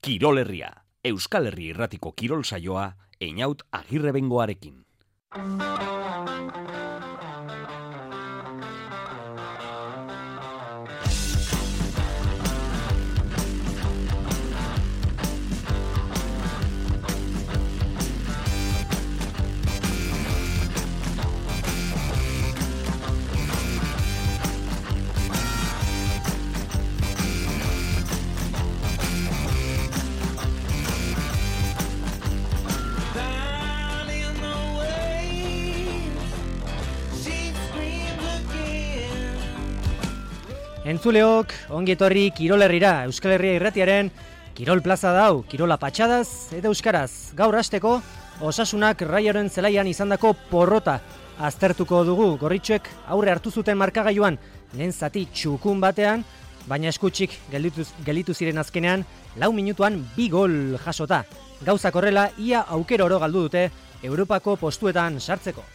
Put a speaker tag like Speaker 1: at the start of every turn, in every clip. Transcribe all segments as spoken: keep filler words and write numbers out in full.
Speaker 1: Kirol Herria, Euskal Herri Irratiko kirol saioa, Einaut Agirrebengoarekin.
Speaker 2: Entzuleok, ongi etorri Kirol Herrira, Euskal Herria Irratiaren Kirol Plaza dau, Kirola patxadaz eta euskaraz. Gaur hasteko, Osasunak Raioren zelaian izandako porrota aztertuko dugu. Gorritxoek aurre hartu zuten markagailuan lehen zati txukun batean, baina eskutsik gelditu, gelditu ziren azkenean, lau minutuan bi gol jasota. Gauzak horrela, ia aukero oro galdu dute Europako postuetan sartzeko.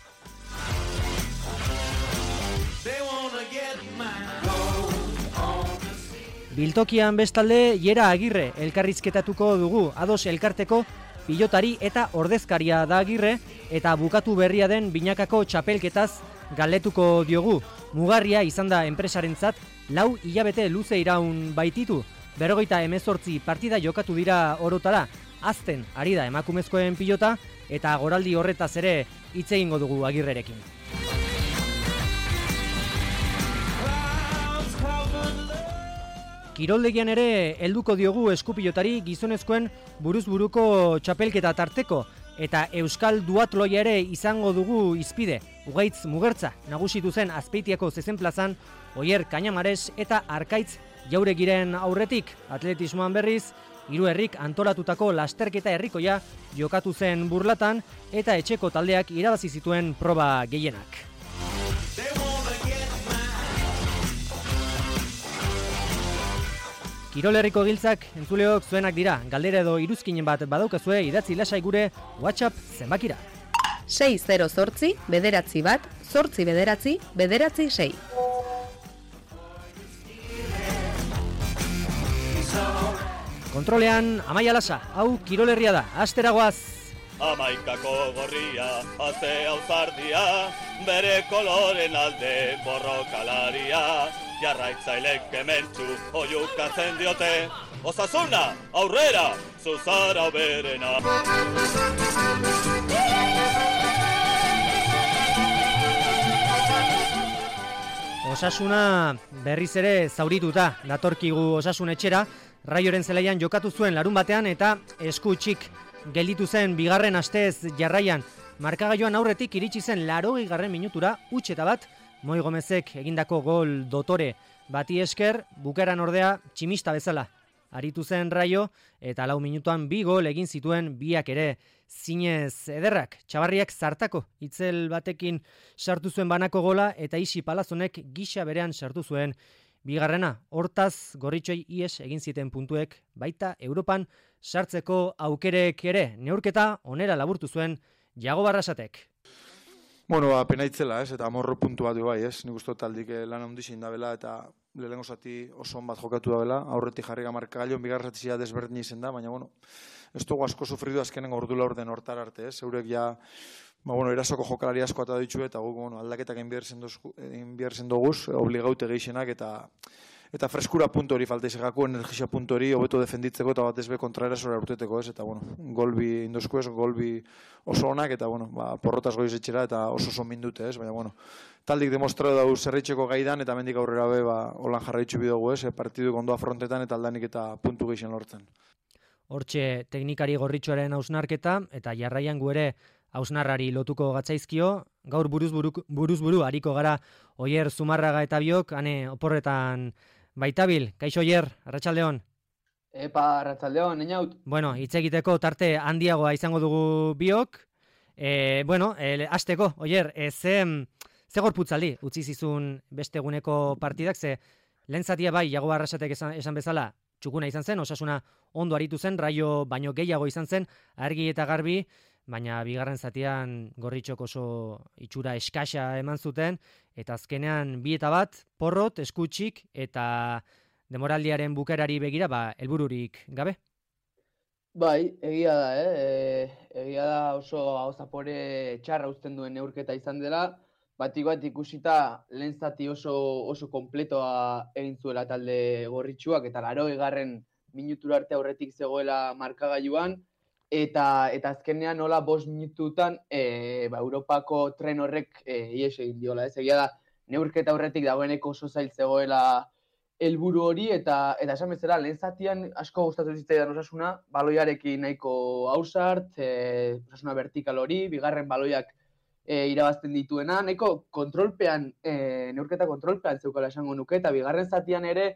Speaker 2: Biltokian bestalde, Jera Agirre elkarrizketatuko dugu, ados elkarteko pilotari eta ordezkaria da Agirre, eta bukatu berria den binakako txapelketaz galdetuko diogu. Mugarria izan da enpresarentzat, lau hilabete luze iraun baititu, berrogeita hemezortzi partida jokatu dira orotara, azten ari da emakumezkoen pilota, eta goraldi horretaz ere hitz egingo dugu Agirrerekin. Kiroldegian ere helduko diogu eskupilotari gizonezkoen buruz-buruko txapelketa tarteko, eta Euskal Duatloia ere izango dugu izpide. Ugaitz Mugertza nagusitu zen Azpeitiako zezen plazan, Oier Kañamares eta Arkaitz Jauregiren aurretik. Atletismoan berriz, hiru herrik antolatutako lasterketa herrikoia jokatu zen Burlatan, eta etxeko taldeak irabazi zituen proba gehienak. Kirol Herriko giltzak entzuleok zuenak dira, galdera edo iruzkinen bat badaukazue idatzi lasai gure WhatsApp zenbakira.
Speaker 3: sei zero zortzi, bederatzi bat, zortzi bederatzi, bederatzi sei.
Speaker 2: Kontrolean, Amaia Lasa, hau Kirol Herria da, asteragoaz.
Speaker 4: Amaikako gorria, aze auzardia, bere koloren alde borrokalaria, jarraitzailek kementzu oiukatzen diote, Osasuna, aurrera, zuzara berena.
Speaker 2: Osasuna berriz ere zaurituta datorkigu Osasun etxera, Raioren zelaian jokatu zuen larun batean eta eskutsik gelditu zen bigarren astez jarraian. Markagailuan aurretik iritsi zen laurogei garren minutura huts eta bat, Moi Gomezek egindako gol dotore bati esker, bukaeran ordea tximista bezala aritu zen Raio, eta lau minutuan bi gol egin zituen biak ere zinez ederrak. Txabarriak zartako itzel batekin sartu zuen banako gola, eta Isi Palazonek gisa berean sartu zuen bigarrena. Hortaz, Gorritxoi ies egin ziten puntuek, baita Europan sartzeko aukerek ere. Neurketa onera laburtu zuen Jago Barrasatek.
Speaker 5: Bueno, ba, pena itzela, ez, eta amorro puntu bat bai, ez, nik uste taldik lan handizin da bela, eta lehenengo zati oso on bat jokatu da bela, aurretik jarri gamarkagailuan bigarren zatia desberdin izen da, baina, bueno, ez dugu asko sufridu azkenen ordula orden hortar arte, ez, eurek ja, ba, bueno, erasoko jokalari asko eta ditu, eta guk, bueno, aldaketak enbiarzen doguz, obligaute gehixenak, eta eta freskura puntu hori falta izagako, energia puntu hori, hobeto defenditzeko eta batez be kontraerasora urteteko, ez, eta, bueno, golbi indosku ez, golbi oso onak, eta, bueno, ba, porrotaz goiz etxera, eta oso oso mindute, ez, baina, bueno, taldik demostratu dau zerritxeko gaidan, eta mendik aurrera be, ba, holan jarraitzu bidogu, ez, partiduk ondo afrontetan, eta aldanik eta puntu gehixen lortzen.
Speaker 2: Hortxe teknikari Gorritxoaren hausnarketa, eta jarraian gu ere hausnarrari lotuko gatzaizkio, gaur buruz-buru buruz hariko gara Oier Zumarraga eta biok, ane oporretan baitabil. Kaixo Oier, arratsaldeon.
Speaker 6: Epa, arratsaldeon, Einaut.
Speaker 2: Bueno, hitz egiteko tarte handiagoa izango dugu biok. E, bueno, e, hasteko, Oier, e, ze, ze gorputzaldi utzi zizun beste eguneko partidak, ze lehen zatia bai, Jago Barrasatek esan, esan bezala, txukuna izan zen, Osasuna ondo aritu zen, Raio baino gehiago izan zen, argi eta garbi, baina bigarren zatian Gorritxok oso itxura eskasa eman zuten, eta azkenean bi eta bat, porrot, eskutsik, eta demoraldiaren bukerari begira, ba, helbururik gabe.
Speaker 6: Bai, egia da, eh? E, egia da oso aho zapore txarra uzten duen neurketa izan dela, batik bat ikusita lehen zati oso, oso kompletoa egin zuela talde gorritxuak, eta laurogeigarren minutura arte aurretik zegoela markagailuan, eta eta azkenean nola bost minututan e, ba, Europako tren horrek e, ihes egin diola, ez? Egia da, neurketa aurretik dagoeneko oso zail zegoela helburu hori, eta eta esan bezala, lehen zatian asko gustatu zitzaidan Osasuna, baloiarekin nahiko ausart, e, Osasuna vertikal hori, bigarren baloiak e, irabazten dituena, nahiko kontrolpean, e, neurketa kontrolpean zeukala esango nuke, eta bigarren zatian ere,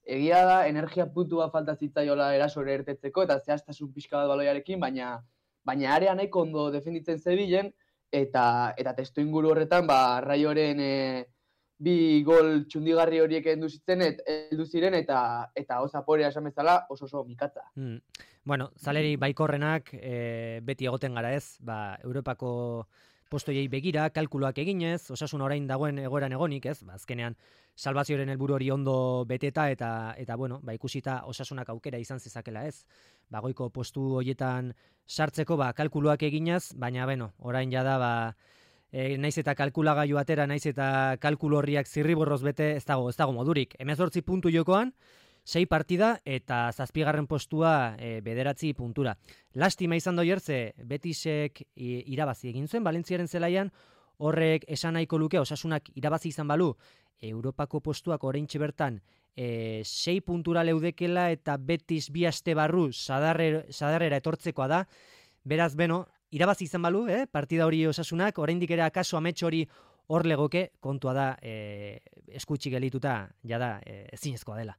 Speaker 6: egia da, energia puntua falta zitzaiola erasore ertetzeko, eta zehaztasun pixka bat baloiarekin, baina baina area nahiko ondo defenditzen zebilen, eta eta testu inguru horretan, ba, Raioren e, bi gol txundigarri horiek heldu zitzen et heldu ziren eta eta osaporea esan bezala oso oso mikatza.
Speaker 2: Mm. Bueno, zaleri baikorrenak e, beti egoten gara, ez? Ba, Europako postoiei begira, kalkuluak eginez, Osasuna orain dagoen egoeran egonik, ez? Ba, azkenean salbazioaren helburu hori ondo beteta eta eta bueno, ba, ikusita Osasunak aukera izan zezakela, ez? Ba, goiko postu hoietan sartzeko ba kalkuluak eginez, baina beno, orain jada ba E, naiz eta kalkulagailu atera, naiz eta kalkulu horriak zirriborroz bete, ez dago, ez dago modurik. hemezortzi puntu jokoan, sei partida eta zazpigarren postua e, bederatzi puntura. Lastima izan doier ze Betisek e, irabazi egin zuen Valentziaren zelaian, horrek esan nahiko luke Osasunak irabazi izan balu, Europako postuak oraintxe bertan e, sei puntura leudekela eta Betis bi aste barru sadarre, sadarrera etortzekoa da, beraz beno, irabazi izan balu, eh? Partida hori Osasunak, oraindik ere akaso amets hori hor legoke, kontua da e, eskutsi gelituta, jada e, ezinezkoa dela.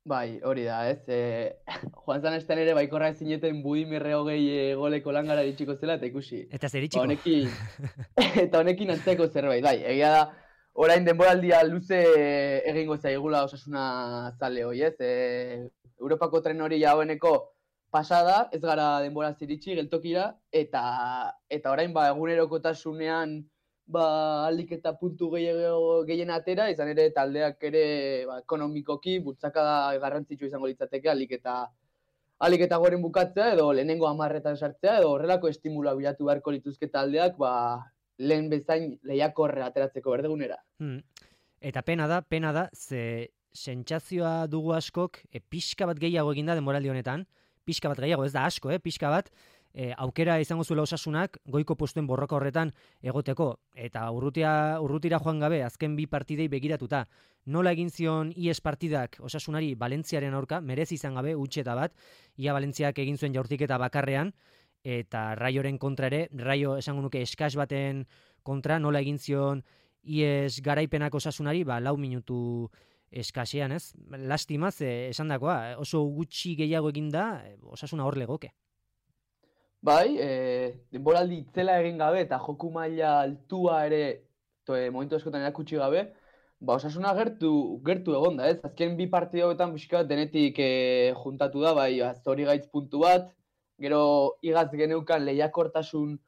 Speaker 6: Bai, hori da, ez? E, Juan Zanesten ere baikorra zineten Budimirre hogei e, goleko langara iritsiko zela, eta ikusi.
Speaker 2: Eta zer iritsiko?
Speaker 6: Ba, honekin, eta honekin antzeko zerbait, bai, egia da, orain denboraldia luze egingo zaigula Osasuna zale hoi, ez? E, Europako tren hori jaueneko pasada, ez gara denbora ziritsi geltokira, eta eta orain ba egunerokotasunean ba alik eta puntu gehiago gehien atera, izan ere taldeak ere ba, ekonomikoki bultzakada garrantzitsu izango litzateke alik eta alik eta goren bukatzea edo lehenengo hamarretan sartzea edo horrelako estimula bilatu beharko lituzke taldeak ba lehen bezain lehiakorre ateratzeko berdegunera.
Speaker 2: Hmm. Eta pena da, pena da, ze sentsazioa dugu askok e, pixka bat gehiago eginda denboraldi honetan, pixka bat gehiago, ez da asko, eh? Pixka bat, e, aukera izango zuela Osasunak goiko postuen borroka horretan egoteko. Eta urrutia, urrutira joan gabe, azken bi partidei begiratuta. Nola egin zion ies partidak Osasunari Valentziaren aurka, merezi izan gabe, utxeta bat, ia Valentziak egin zuen jaurtiketa bakarrean, eta Raioren kontra ere, Raio esango nuke eskas baten kontra, nola egin zion ies garaipenak Osasunari, ba, lau minutu eskasean, ez? Lastima, ze esan dakoa, oso gutxi gehiago eginda, Osasuna hor legoke.
Speaker 6: Bai, e, denboraldi itzela egin gabe eta joku maila altua ere to, e, momentu askotan erakutsi gabe, ba Osasuna gertu gertu egonda, ez? Azken bi partidoetan pixka bat denetik e, juntatu da, bai, Zorigaitz puntu bat, gero igaz geneukan lehiakortasun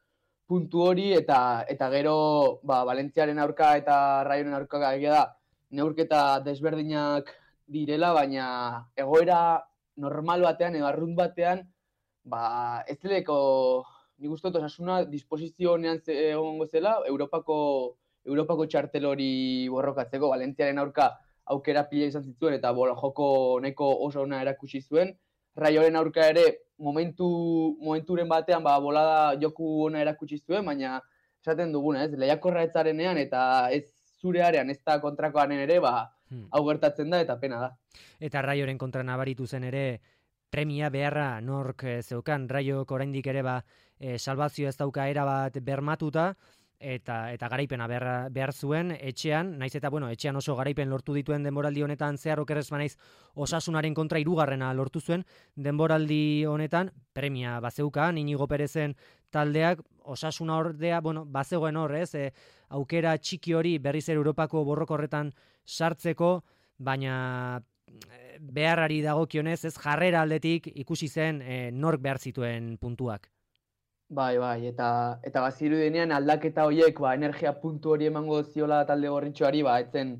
Speaker 6: puntu hori eta eta gero ba Valentziaren aurka eta Raioren aurka egia da neurketa desberdinak direla, baina egoera normal batean edo arrunt batean ba ez deleko nik uste dut Osasuna disposizio honean egongo zela Europako Europako txartel hori borrokatzeko. Valentziaren aurka aukera pila izan zituen eta bola joko nahiko oso ona erakutsi zuen. Raioren aurka ere momentu momenturen batean ba bolada joku ona erakutsi zuen, baina esaten duguna, ez? Lehiakorra ez zarenean eta ez zure arean, ez da kontrakoan ere, ba, hmm. hau gertatzen da eta pena da.
Speaker 2: Eta Raioren kontra nabaritu zen ere, premia beharra nork zeukan, Raiok oraindik ere ba, e, salbazio ez dauka era bat bermatuta, eta eta garaipena behar, behar zuen etxean, naiz eta bueno, etxean oso garaipen lortu dituen denboraldi honetan zehar okerrez banaiz Osasunaren kontra hirugarrena lortu zuen, denboraldi honetan premia bazeukan Inigo Perezen taldeak Osasuna ordea, bueno, bazegoen hor, ez, e, aukera txiki hori berriz ere Europako borroko horretan sartzeko, baina beharrari dagokionez, ez, jarrera aldetik ikusi zen e, nork behar zituen puntuak.
Speaker 6: Bai, bai, eta eta baziru denean aldaketa horiek, ba, energia puntu hori emango ziola talde gorritxoari, ba, etzen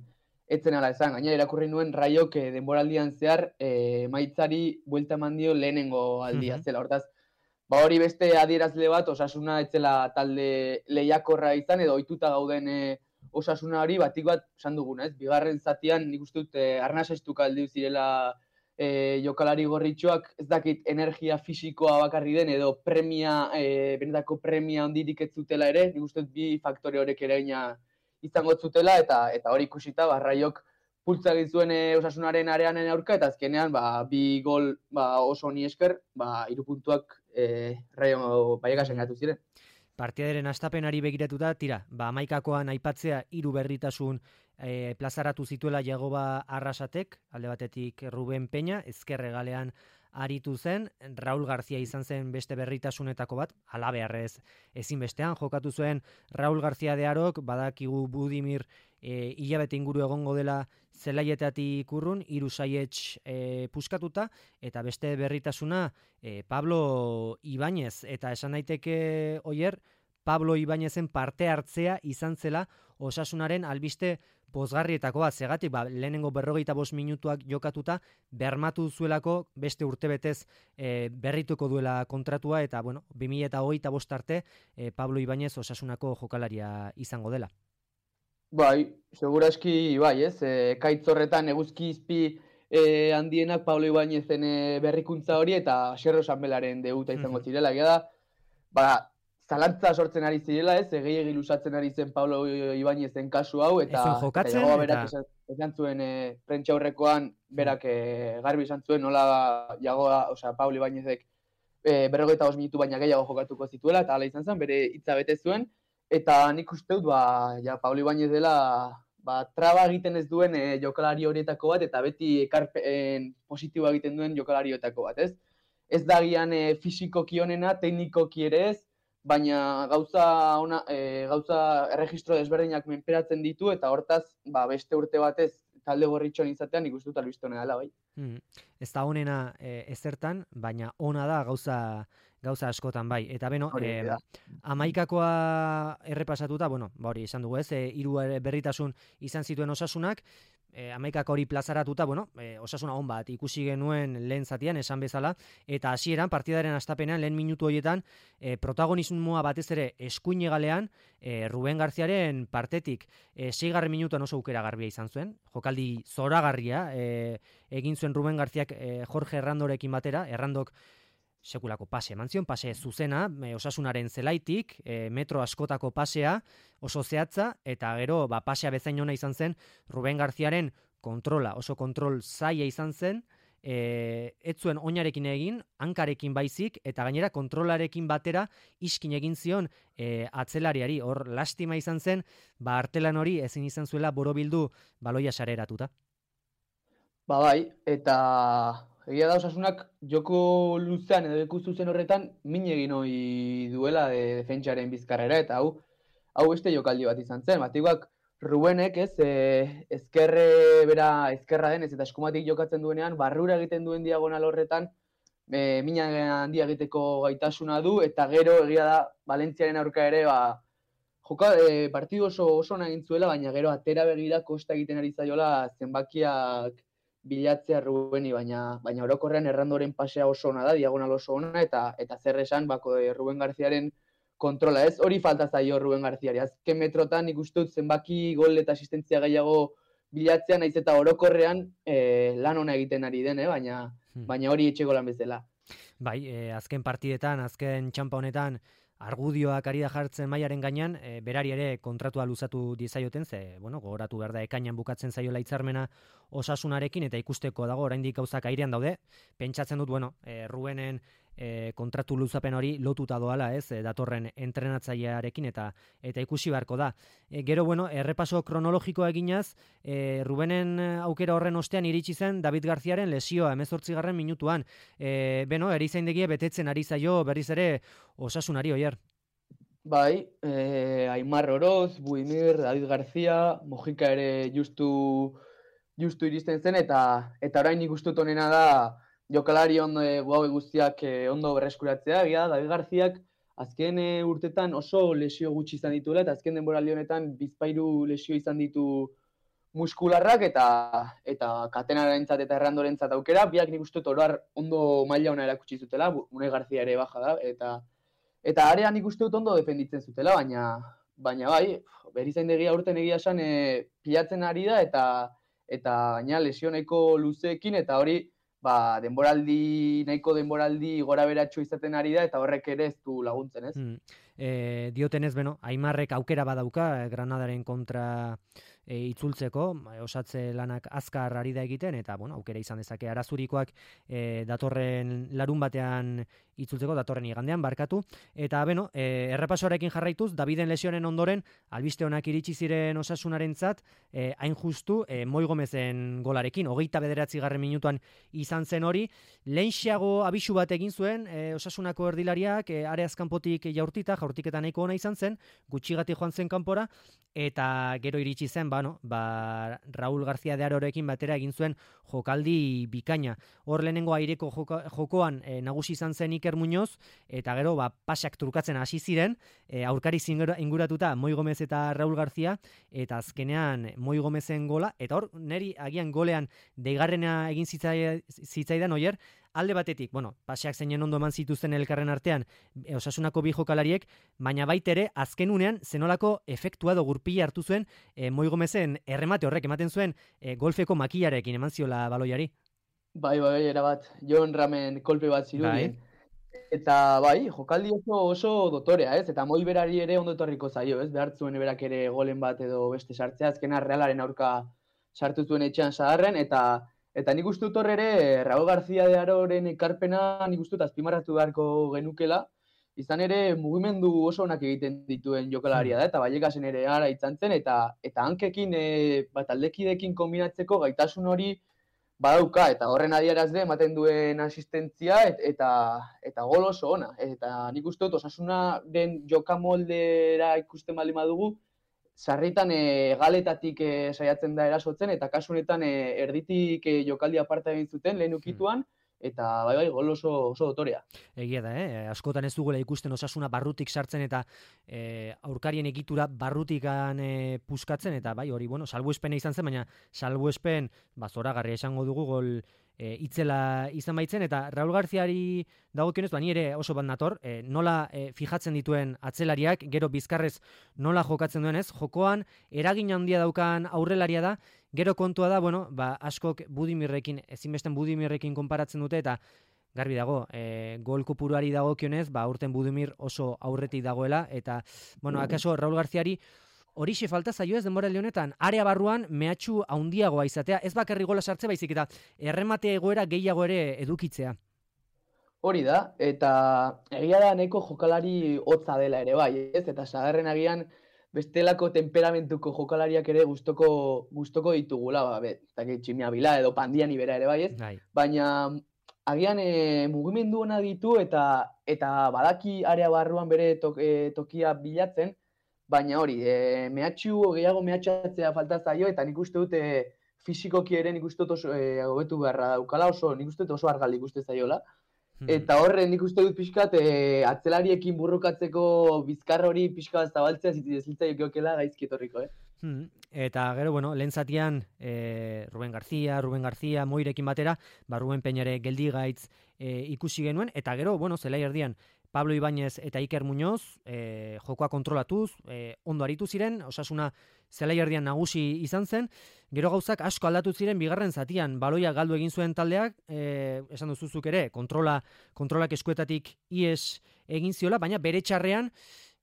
Speaker 6: etzen ala esan, gainera irakurri nuen Raiok eh, denboraldian zehar eh, emaitzari buelta eman dio lehenengo aldia
Speaker 2: Mhm.
Speaker 6: zela. Hortaz, ba hori beste adierazle bat, Osasuna etzela talde lehiakorra izan, edo ohituta gauden eh, Osasuna hori, batik bat esan duguna, ez? Bigarren zatian nik uste dut eh, arnasestuka aldiu zirela e, jokalari gorritxoak, ez dakit energia fisikoa bakarri den, edo premia, e, benetako premia ondirik ez zutela ere, nik uste dut bi faktore horrek eragina izango zutela, eta eta hori ikusita, ba, Raiok pultza egin zuen e, Osasunaren areanen aurka, eta azkenean, ba, bi gol ba, oso honi esker, ba, hiru puntuak e, Raio Baiagasen gatu ziren.
Speaker 2: Partidaren astapenari begiratuta, tira, ba, amaikakoan aipatzea hiru berritasun e, plazaratu zituela Jagoba Arrasatek, alde batetik Ruben Peña, ezkerre galean aritu zen, Raul García izan zen beste berritasunetako bat, alabearrez ezinbestean, jokatu zuen Raul García de Arok, badakigu Budimir e, hilabete inguru egongo dela zelaietatik urrun, hiru saietx e, puskatuta, eta beste berritasuna e, Pablo Ibáñez, eta esan daiteke oier, Pablo Ibáñezen parte hartzea izan zela Osasunaren albiste pozgarrietako bat, zegatik, ba, lehenengo berrogeita bost minutuak jokatuta, bermatu zuelako beste urtebetez e, berrituko duela kontratua, eta, bueno, bi mila hogeita bost arte e, Pablo Ibáñez Osasunako jokalaria izango dela.
Speaker 6: Bai, seguraski, bai, ez, e, kaitz horretan eguzki izpi e, handienak Pablo Ibáñezen e, berrikuntza hori, eta Xerro Sanbelaren debuta izango
Speaker 2: Mhm.
Speaker 6: zirela, egia da, ba, zalantza sortzen ari zirela, ez, gehiegi lusatzen ari zen Pablo Ibáñezen kasu hau, eta,
Speaker 2: Ez zuen
Speaker 6: eta
Speaker 2: jokatzen,
Speaker 6: Jagoba berak
Speaker 2: eta-
Speaker 6: esan, esan zuen e, prentsa aurrekoan, berak e, garbi esan zuen, nola Jagoba, osea, Pablo Ibáñezek e, berrogeita bost minutu baina gehiago jokatuko zituela, eta hala izan zen, bere hitza bete zuen, eta nik uste dut, ba, ja, Pablo Ibáñez dela, ba, traba egiten ez duen e, jokalari horietako bat, eta beti ekarpen positiboa egiten duen jokalari horietako bat, ez? Ez da gian e, fisikoki onena, teknikoki ere ez, baina gauza ona, e, gauza erregistro desberdinak menperatzen ditu, eta hortaz, ba, beste urte batez talde gorritxoan izatean nik uste dut albiste honena dela, bai.
Speaker 2: Hmm. Ez da onena e, ezertan, baina ona da gauza gauza askotan bai. Eta beno,
Speaker 6: Hori
Speaker 2: e,
Speaker 6: da.
Speaker 2: amaikakoa errepasatuta, bueno, ba hori esan dugu ez, e, hiru berritasun izan zituen Osasunak, e, amaikako hori plazaratuta, bueno, e, Osasuna on bat ikusi genuen lehen zatian, esan bezala, eta hasieran partidaren hastapenean lehen minutu horietan e, protagonismoa batez ere eskuin hegalean e, Ruben Garziaren partetik e, seigarren minutuan oso aukera garbia izan zuen, jokaldi zoragarria e, egin zuen Ruben Garziak e, Jorge Errandorekin batera, Errandok sekulako pase eman zion, pase zuzena, e, Osasunaren zelaitik, e, metro askotako pasea, oso zehatza, eta gero ba, pasea bezain ona izan zen, Ruben Garziaren kontrola, oso kontrol zaila izan zen, e, ez zuen oinarekin egin, hankarekin baizik, eta gainera kontrolarekin batera iskin egin zion e, atzelariari, hor lastima izan zen, ba artelan hori ezin izan zuela borobildu baloia sareratuta.
Speaker 6: Ba bai, eta egia da Osasunak joko luzean edo leku zuzen horretan min egin ohi duela de defentsaren bizkarrera, eta hau hau beste jokaldi bat izan zen. Batikoak Rubenek, ez, e, ezkerre bera ezkerra denez eta eskumatik jokatzen duenean, barrura egiten duen diagonal horretan e, mina handia egiteko gaitasuna du, eta gero egia da Valentziaren aurka ere, ba, joka, e, partidu oso oso ona egin zuela, baina gero atera begira kosta egiten ari zaiola zenbakiak bilatzea Rubeni, baina baina orokorrean Errandoren pasea oso ona da, diagonal oso ona, eta eta zer esan bako e, Ruben Garziaren kontrola, ez? Hori falta zaio Ruben Garziari. Azken metrotan nik uste dut zenbaki gol eta asistentzia gehiago bilatzea, naiz eta orokorrean e, lan ona egiten ari den, eh? baina
Speaker 2: Hmm.
Speaker 6: baina hori etxeko lan bezala.
Speaker 2: Bai, e, azken partidetan, azken txampa honetan, argudioak ari da jartzen mailaren gainean, e, berari ere kontratua luzatu diezaioten, ze, bueno, gogoratu behar da ekainan bukatzen zaiola hitzarmena Osasunarekin, eta ikusteko dago oraindik gauzak airean daude. Pentsatzen dut, bueno, e, Rubenen e, kontratu luzapen hori lotuta doala, ez, e, datorren entrenatzailearekin, eta eta ikusi beharko da. E, gero, bueno, errepaso kronologikoa eginaz, e, Rubenen aukera horren ostean iritsi zen David Garziaren lesioa, hemezortzigarren minutuan. E, beno, erizaindegie betetzen ari zaio berriz ere Osasunari, oier.
Speaker 6: Bai, eh, Aimar Oroz, Buimir, David García, Mojika ere justu justu iristen zen, eta eta orain nik uste dut honena da jokalari ondo e, guau guztiak e, ondo berreskuratzea. Egia da, David Garziak azken e, urtetan oso lesio gutxi izan dituela, eta azken denboraldi honetan bizpahiru lesio izan ditu muskularrak eta eta katenarentzat eta errandorentzat aukera, biak nik uste dut oroar ondo maila ona erakutsi zutela, Unai Garzia ere baja da, eta eta arean nik uste dut ondo defenditzen zutela, baina baina bai, Berizaindegia urten egia esan e, pilatzen ari da, eta eta gaina lesio nahiko luzeekin, eta hori ba, denboraldi, nahiko denboraldi gora beratxo izaten ari da, eta horrek ere ez du laguntzen, ez?
Speaker 2: Mm. E, diotenez, beno, Aimarrek aukera badauka Granadaren kontra e, itzultzeko, osatze lanak azkar ari da egiten, eta bueno, aukera izan dezake arazurikoak e, datorren larun batean itzultzeko, datorren igandean, barkatu, eta beno, e, errepasoarekin jarraituz, Daviden lesionen ondoren, albiste honak iritsi ziren Osasunarentzat, e, hain justu, e, Moi Gomezen golarekin, hogeita bederatzi garren minutuan izan zen hori, lehenxeago abisu bat egin zuen, e, Osasunako erdilariak, e, areaz kanpotik jaurtita, jaurtiketa nahiko ona izan zen, gutxigati joan zen kanpora, eta gero iritsi zen, ba, no, ba, Raúl García de Arorekin batera egin zuen jokaldi bikaina. Hor lehenengo aireko joko, jokoan e, nagusi izan zen Iker Muñoz, eta gero ba, pasak trukatzen hasi ziren, e, aurkari inguratuta Moi Gomez eta Raúl García, eta azkenean Moi Gomezen gola, eta hor neri agian golean deigarrena egin zitzai, zitzaidan oier, alde batetik, bueno, paseak zeinen ondo eman zituzten elkarren artean e, Osasunako bi jokalariek, baina baitere azken unean zenolako efektua do gurpila hartu zuen e, Moi Gomezen erremate horrek ematen zuen e, golfeko makilarekin eman ziola baloiari.
Speaker 6: Bai, bai, erabat, Jon Ramen kolpe bat zirudien. Bai. Eta bai, jokaldi oso, oso dotorea, ez? Eta Moi berari ere ondo etorriko zaio, ez? Behartzuen berak ere golen bat edo beste sartzea, azkena Realaren aurka sartu zuen etxean sadarren, eta Eta nik uste dut horre ere, Raúl García de Aroren ekarpena nik uste dut azpimarratu beharko genukela, izan ere mugimendu oso onak egiten dituen jokalaria da, eta Ballekasen ere ara izan zen, eta, eta hankekin, e, bat aldekidekin kombinatzeko gaitasun hori badauka, eta horren adierazle ematen duen asistentzia, et, eta, eta gol oso ona. Eta nik uste dut Osasunaren jokamoldera ikusten baldin badugu, sarritan e, galetatik e, saiatzen da erasotzen, eta kasu honetan e, erditik e, jokaldi aparta egin zuten lehen ukituan, eta bai bai gol oso, oso dotorea.
Speaker 2: Egia da, eh? Askotan ez dugula ikusten Osasuna barrutik sartzen eta e, aurkarien egitura barrutikan e, puskatzen, eta bai hori, bueno, salbuespena izan zen, baina salbuespen ba, zoragarria esango dugu gol e, itzela izan baitzen, eta Raúl Garziari dagokionez, ba, ni ere oso bat nator, e, nola e, fijatzen dituen atzelariak, gero bizkarrez nola jokatzen duenez, jokoan eragin handia daukan aurrelaria da, gero kontua da, bueno, ba, askok Budimirrekin, ezinbesten Budimirrekin konparatzen dute, eta garbi dago, e, gol kopuruari dagokionez, ba, urten Budimir oso aurretik dagoela, eta, bueno, akaso Raúl Garziari horixe falta zaio ez denbora honetan, area barruan mehatxu handiagoa izatea, ez bakarri gola sartze baizik, eta erremate egoera gehiago ere edukitzea.
Speaker 6: Hori da, eta egia da nahiko jokalari hotza dela ere bai, ez? Eta sagarren agian bestelako temperamentuko jokalariak ere gustoko gustoko ditugula, ba, bet, eta Tximia Bila edo Pandiani bera ere bai, ez?
Speaker 2: Bai.
Speaker 6: Baina agian e, mugimendu ona ditu eta eta badaki area barruan bere tok, e, tokia bilatzen, baina hori, e, mehatxu gehiago mehatxatzea falta zaio, eta nik uste dut e, fisikoki ere nik uste dut oso e, hobetu beharra daukala, oso nik uste dut oso argaldi ikuste zaiola. Eta horre nik uste dut pixkat e, atzelariekin burrukatzeko bizkar hori pixkat zabaltzea zitzaio geokela gaizki etorriko, eh?
Speaker 2: Hmm. Eta gero, bueno, lehen zatian e, Ruben García, Ruben García, Moirekin batera, ba Ruben Peñare geldigaitz e, ikusi genuen, eta gero, bueno, zelai erdian, Pablo Ibáñez eta Iker Muñoz e, jokoa kontrolatuz, e, ondo aritu ziren, Osasuna zelai erdian nagusi izan zen, gero gauzak asko aldatu ziren bigarren zatian, baloia galdu egin zuen taldeak, e, esan duzuzuk ere, kontrola, kontrolak eskuetatik ies egin ziola, baina bere txarrean,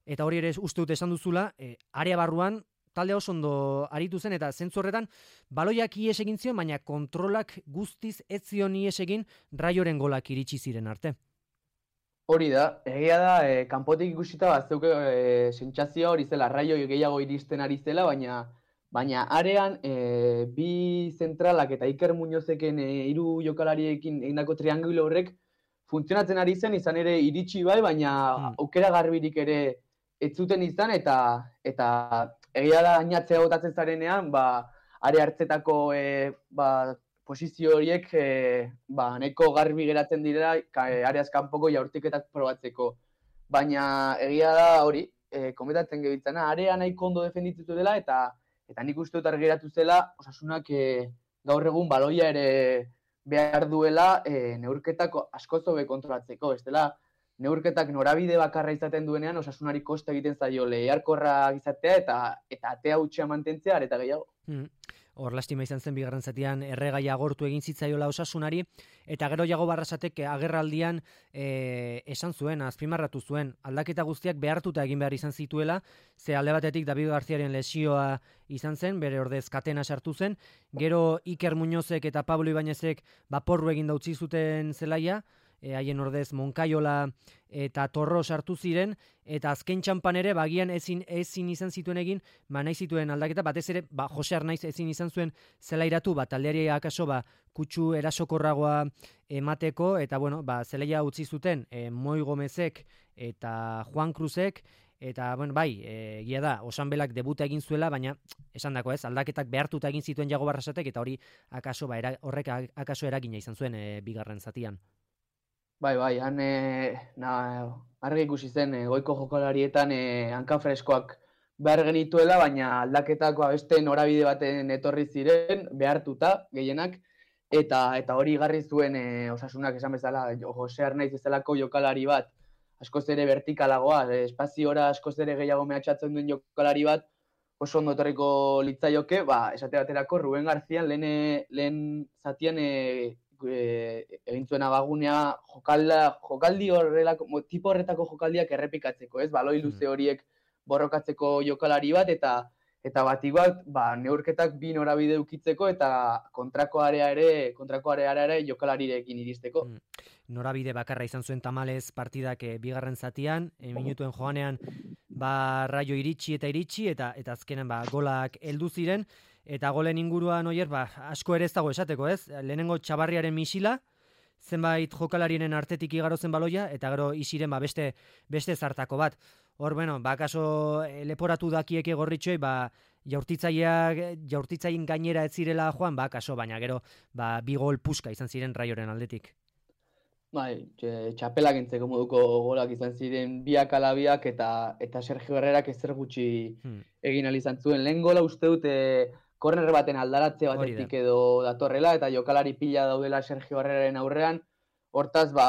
Speaker 2: eta hori ere uste dut esan duzula, e, area barruan, talde oso ondo aritu zen, eta zentzu horretan, baloiak ies egin zion, baina kontrolak guztiz ez zion ies egin Raioren golak iritsi ziren arte.
Speaker 6: Hori da, egia da, e, kanpotik ikusita bat zeuke e, sentsazioa hori zela, Raio gehiago iristen ari zela, baina baina arean e, bi zentralak eta Iker Muñozeken e, hiru jokalariekin egindako triangulo horrek funtzionatzen ari zen, izan ere iritsi bai, baina hmm. aukera garbirik ere ez zuten izan, eta eta egia da ainatzea botatzen zarenean, ba, are hartzetako e, ba, posizio horiek e, ba, nahiko garbi geratzen direla e, areaz kanpoko jaurtiketak probatzeko. Baina egia da hori, e, komentatzen gebitzana, area nahiko ondo defenditu dela, eta Eta nik uste dut argiratu zela, Osasunak e, gaur egun baloia ere behar duela e, neurketak askoz hobe kontrolatzeko, ez dela, neurketak norabide bakarra izaten duenean Osasunari kosta egiten zaio lehiarkorra izatea eta eta atea hutsa mantentzea eta gehiago.
Speaker 2: Mm. Hor lastima izan zen bigarren zatian erregaia agortu egin zitzaiola Osasunari, eta gero Jago Barrasatek agerraldian e, esan zuen, azpimarratu zuen, aldaketa guztiak behartuta egin behar izan zituela, ze alde batetik David Garziaren lesioa izan zen, bere ordez katena sartu zen, gero Iker Muñozek eta Pablo Ibañezek baporru egin utzi zuten zelaia, e, haien ordez Monkaiola eta Torro sartu ziren, eta azken txampan ere, bagian ezin, ezin izan zituen egin, ba nahi zituen aldaketa, batez ere, ba, Jose Arnaiz ezin izan zuen zelairatu, ba, taldeari akaso, ba, kutsu erasokorragoa emateko, eta bueno, ba, zelaia utzi zuten, e, Moi Gomezek eta Juan Cruzek, eta bueno, bai, egia da, Osanbelak debuta egin zuela, baina esan dako ez, aldaketak behartuta egin zituen Jago Barrasatek, eta hori akaso, ba, era, horrek akaso eragina izan zuen e, bigarren zatian.
Speaker 6: Bai, bai, han e, na, argi ikusi zen e, goiko jokalarietan e, hanka freskoak behar genituela, baina aldaketako beste norabide baten etorri ziren, behartuta gehienak, eta eta hori garri zuen e, Osasunak esan bezala, Jose Arnaiz bezalako jokalari bat, askoz ere vertikalagoa, e, espaziora askoz ere gehiago mehatxatzen duen jokalari bat, oso ondo etorriko litzaioke, ba, esate baterako Ruben Garzian lehen, lehen zatian e, E, egin zuen abagunea jokalda, jokaldi horrelako, tipo horretako jokaldiak errepikatzeko, ez? Baloi luze horiek borrokatzeko jokalari bat, eta eta batik bat, ba, neurketak bi norabide ukitzeko, eta kontrako area ere, kontrako area ere jokalarirekin iristeko.
Speaker 2: Mm. Norabide bakarra izan zuen tamalez partidak e, bigarren zatian, e, minutuen joanean, ba, Raio iritsi eta iritsi, eta eta azkenan ba, golak heldu ziren, eta golen inguruan oier, ba, asko ere ez dago esateko, ez? Lehenengo Txabarriaren misila, zenbait jokalarien artetik igaro zen baloia, eta gero isiren ba, beste, beste zartako bat. Hor, bueno, ba, kaso leporatu dakieke gorritxoi, ba, jaurtitzaileak, jaurtitzaien gainera ez zirela joan, ba, kaso, baina gero, ba, bi gol puska izan ziren Raioren aldetik.
Speaker 6: Bai, txapelak entzeko moduko golak izan ziren biak ala biak, eta, eta Sergio Herrerak ezer gutxi hmm. egin ahal izan zuen. Lehen gola uste dute korner baten aldaratze batetik edo datorrela, eta jokalari pila daudela Sergio Herreraren aurrean, hortaz, ba,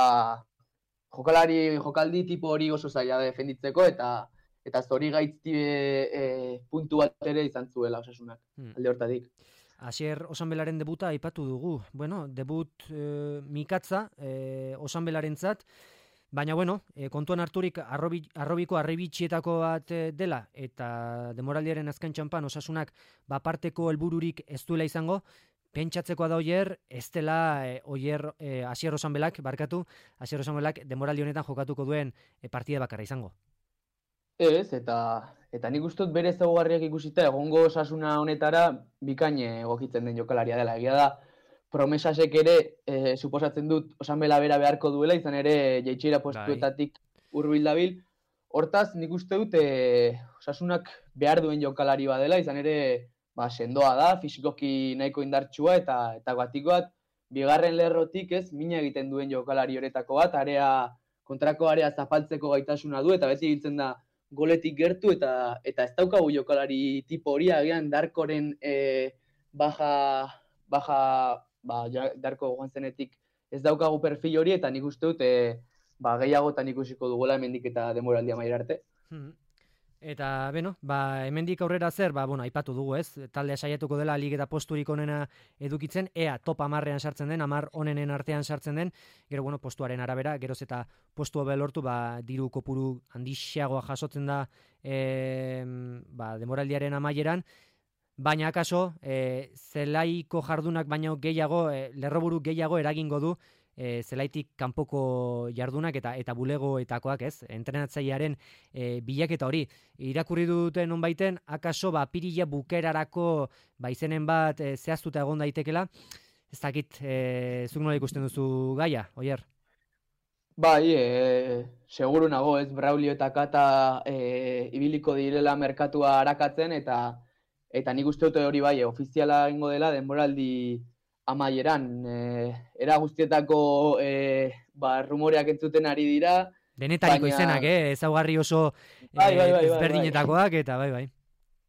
Speaker 6: jokalari, jokaldi tipo hori oso zaila defenditzeko, eta eta zori gaitzi e, e, puntu bat ere izan zuela Osasunak, hmm. alde hortatik.
Speaker 2: Asier Osanbelaren debuta aipatu dugu. Bueno, debut e, mikatza e, Osanbelarentzat, baina bueno, e, kontuan harturik arrobi, arrobiko arribitxietako bat e, dela, eta demoraldiaren azken txampan Osasunak baparteko helbururik ez duela izango, pentsatzekoa da oier, ez dela e, oier e, Asier Osanbelak, barkatu, Asier Osanbelak demoraldi honetan jokatuko duen e, partida bakarra izango.
Speaker 6: Ez, eta eta nik uste dut bere ezaugarriak ikusita egongo Osasuna honetara bikain egokitzen den jokalaria dela. Egia da, promesasek ere e, suposatzen dut Osanbela bera beharko duela, izan ere jaitxera postuetatik hurbil dabil. Hortaz, nik uste dut e, Osasunak behar duen jokalari badela, izan ere ba, sendoa da, fisikoki nahiko indartsua, eta eta batiko bat, bigarren lerrotik ez, mina egiten duen jokalari horetako bat, area, kontrako area zapaltzeko gaitasuna du, eta beti egiten da goletik gertu, eta eta ez daukagu jokalari tipo hori, agian Darkoren e, baja, baja ba, ja, Darko joan zenetik ez daukagu perfil hori, eta nik uste dut e, ba, gehiagotan ikusiko dugola hemendik eta demoraldia maila arte.
Speaker 2: Hmm. Eta, beno, ba, hemendik aurrera zer, ba, bueno, aipatu dugu, ez? Taldea saiatuko dela lig eta posturik onena edukitzen, ea top hamarrean sartzen den, hamar onenen artean sartzen den, gero, bueno, postuaren arabera, geroz eta postu hobe lortu, ba, diru kopuru handixeagoa jasotzen da e, ba, demoraldiaren amaieran, baina akaso, e, zelaiko jardunak baino gehiago, e, lerroburu gehiago eragingo du, E, zelaitik kanpoko jardunak eta eta bulegoetakoak, ez? Entrenatzailearen e, bilaketa hori. Irakurri duten onbaiten, akaso ba pirila bukerarako ba izenen bat e, zehaztuta egon daitekela. Ez dakit, e, zuk nola ikusten duzu gaia, Oier?
Speaker 6: Bai, e, seguru nago, ez? Braulio eta Kata e, ibiliko direla merkatua arakatzen, eta eta nik uste dute hori bai, ofiziala egingo dela denboraldi amaieran, eh, era guztietako eh, ba, rumoreak entzuten ari dira.
Speaker 2: Denetariko baina... izenak, eh? Ezaugarri oso eh, bai, bai, bai, ezberdinetakoak, eta bai, bai.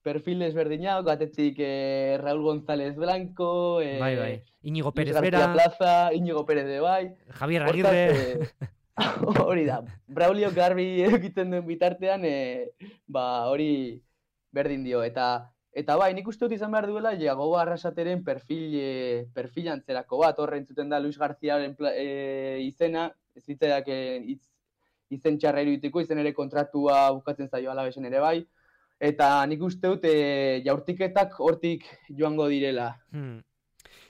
Speaker 6: perfil desberdinak, batetik eh, Raúl González Blanco, eh,
Speaker 2: bai, bai. Íñigo Pérez
Speaker 6: Luis
Speaker 2: Bera,
Speaker 6: García Plaza, Íñigo Pérez de bai.
Speaker 2: Javier
Speaker 6: Hortaz,
Speaker 2: Aguirre.
Speaker 6: eh, hori da, Braulio garbi egiten duen bitartean, eh, ba, hori berdin dio. Eta eta bai, nik uste dut izan behar duela, Jagoba Arrasateren perfil, eh, perfil antzerako bat, horre entzuten da Luis Garziaren eh, izena, ez zitzaidak eh, itz, izen txarra irudituko, izen ere kontratua bukatzen zaio Alabesen ere bai, eta nik uste dut e, jaurtiketak hortik joango direla.
Speaker 2: Hmm.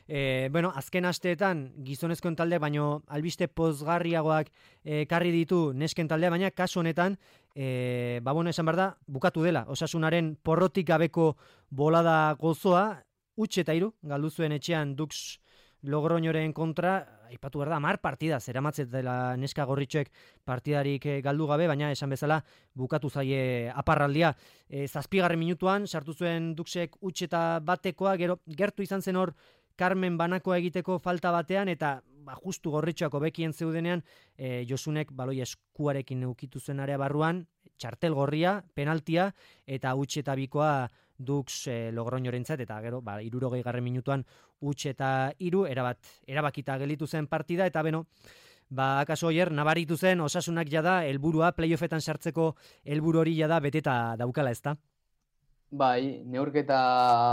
Speaker 2: E, bueno, azken asteetan gizonezkoen talde, baino albiste pozgarriagoak ekarri ditu nesken taldea, baina kasu honetan, e, ba bueno, esan behar da, bukatu dela, Osasunaren porrotik gabeko bolada gozoa, huts eta hiru galdu zuen etxean Dux Logroñoren kontra, aipatu behar da, hamar partida, zeramatzet dela neska gorritxoek partidarik galdu gabe, baina esan bezala bukatu zaie aparraldia. E, zazpigarren minutuan, sartu zuen Duxek huts eta batekoa, gero gertu izan zen hor Carmen banakoa egiteko falta batean, eta ba, justu gorritxoak hobekien zeudenean, e, Josunek baloi eskuarekin eukitu zuen area barruan, txartel gorria, penaltia, eta huts eta bikoa Dux e, Logroñorentzat, eta gero, ba, hirurogei garren minutuan huts eta hiru, erabat, erabakita gelditu zen partida, eta beno, ba, akaso oier, nabaritu zen Osasunak jada, helburua playoffetan sartzeko helburu hori jada beteta daukala, ezta?
Speaker 6: Bai, neurketa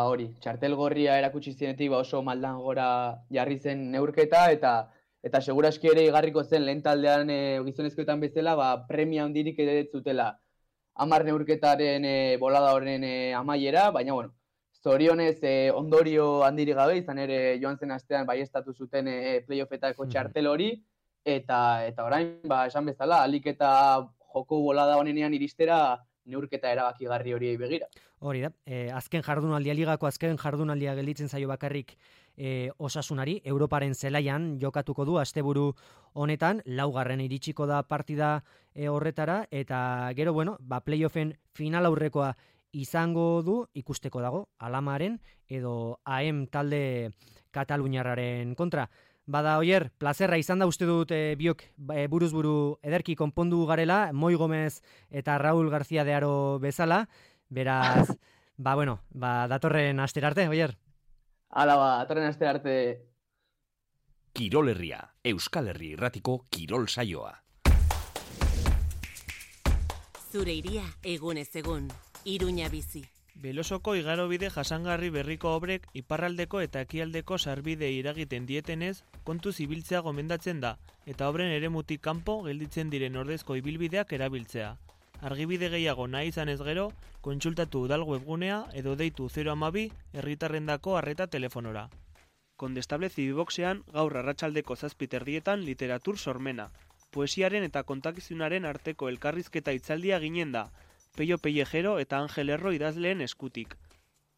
Speaker 6: hori, txartel gorria erakutsi zienetik ba oso maldan gora jarri zen neurketa, eta eta seguraski ere igarriko zen lehen taldean e, gizonezkoetan bezala, ba, premia handirik ere ez zutela hamar neurketaren e, bolada horren e, amaiera, baina bueno, zorionez e, ondorio handirik gabe, izan ere joan zen astean baiestatu zuten e, playoffetako txartel hori, eta eta orain, ba, esan bezala, alik eta joko bolada honenean iristera neurketa erabakigarri horiei begira.
Speaker 2: Hori da, e, azken jardunaldia, ligako azken jardunaldia gelditzen zaio bakarrik e, Osasunari, Europaren zelaian jokatuko du asteburu honetan, laugarren iritsiko da partida e, horretara, eta gero, bueno, ba, playoffen final aurrekoa izango du, ikusteko dago, Alamaren edo A E M talde Kataluniarraren kontra. Bada, oier, plazerra izan da uste dut e, biok e, buruz buru ederki konpondu garela, Moi Gomez eta Raúl García de Aro bezala, beraz, ba, bueno, ba, datorren astera arte, oier.
Speaker 6: Hala ba, datorren astera arte.
Speaker 1: Kirol Herria, Euskal Herri irratiko kirol saioa.
Speaker 7: Zure iria, egunez egun, Iruña bizi.
Speaker 8: Belosoko igarobide jasangarri berriko obrek iparraldeko eta ekialdeko sarbide iragiten dietenez kontuz ibiltzea gomendatzen da, eta obren eremutik kanpo gelditzen diren ordezko ibilbideak erabiltzea. Argibide gehiago nahi izan ez gero, kontsultatu udal webgunea edo deitu zero hamabi herritarrendako arreta telefonora. Kondestable Zibiboxean gaur arratsaldeko zazpi terdietan literatur sormena. Poesiaren eta kontakizunaren arteko elkarrizketa hitzaldia ginen da, Peio Pellejero eta Angel Erro idazleen eskutik.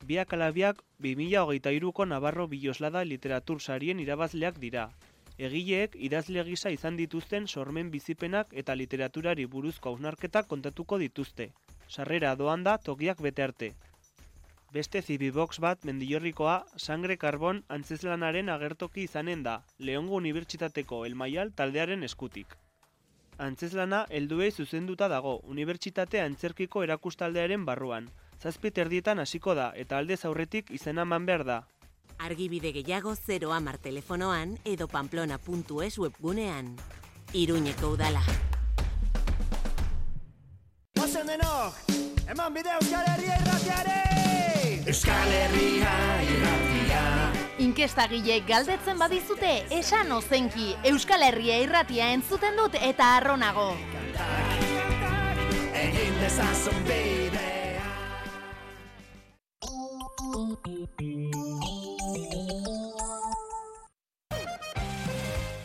Speaker 8: Biak alabiak bi mila hogeita hiruko Navarro Biloslada literatur sarien irabazleak dira. Egileek idazle gisa izan dituzten sormen bizipenak eta literaturari buruzko hausnarketak kontatuko dituzte. Sarrera doan da tokiak bete arte. Beste Zibibox bat Mendillorrikoa Sangre Karbon antzezlanaren agertoki izanen da, Leongo Unibertsitateko Elmaial taldearen eskutik. Antzezlana helduei zuzenduta dago, Unibertsitate Antzerkiko erakustaldearen barruan. Zazpi terdietan hasiko da eta aldez aurretik izena eman behar da.
Speaker 7: Argibide gehiago zero hamar telefonoan edo pamplona puntu es webgunean. Iruñeko udala.
Speaker 9: Ozen denok, eman bide Euskal Herria irratiare! Euskal Herria irratia.
Speaker 10: Inkestagileek galdetzen badizute, esan ozenki, Euskal Herria irratia entzuten dut eta arronago.
Speaker 9: Egin dezazun bidea.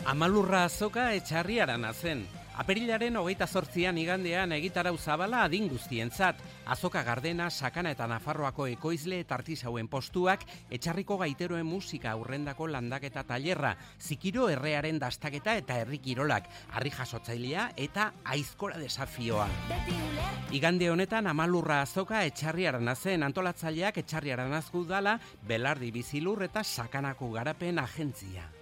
Speaker 11: Amalurra azoka etxarriarana zen. Apirilaren hogeita zortzian igandean egitarau zabala adin guztientzat. Azoka Gardena, Sakana eta Nafarroako ekoizle eta artisauen postuak, etxarriko gaiteroen musika aurrendako landaketa tailerra, zikiro errearen dastaketa eta herrikirolak, harri jasotzailea eta aizkora desafioa. Igande honetan Amalurra azoka etxarriarana zen, antolatzaileak etxarriaranazko udala, Belardi Bizilur eta Sakanako Garapen Agentzia.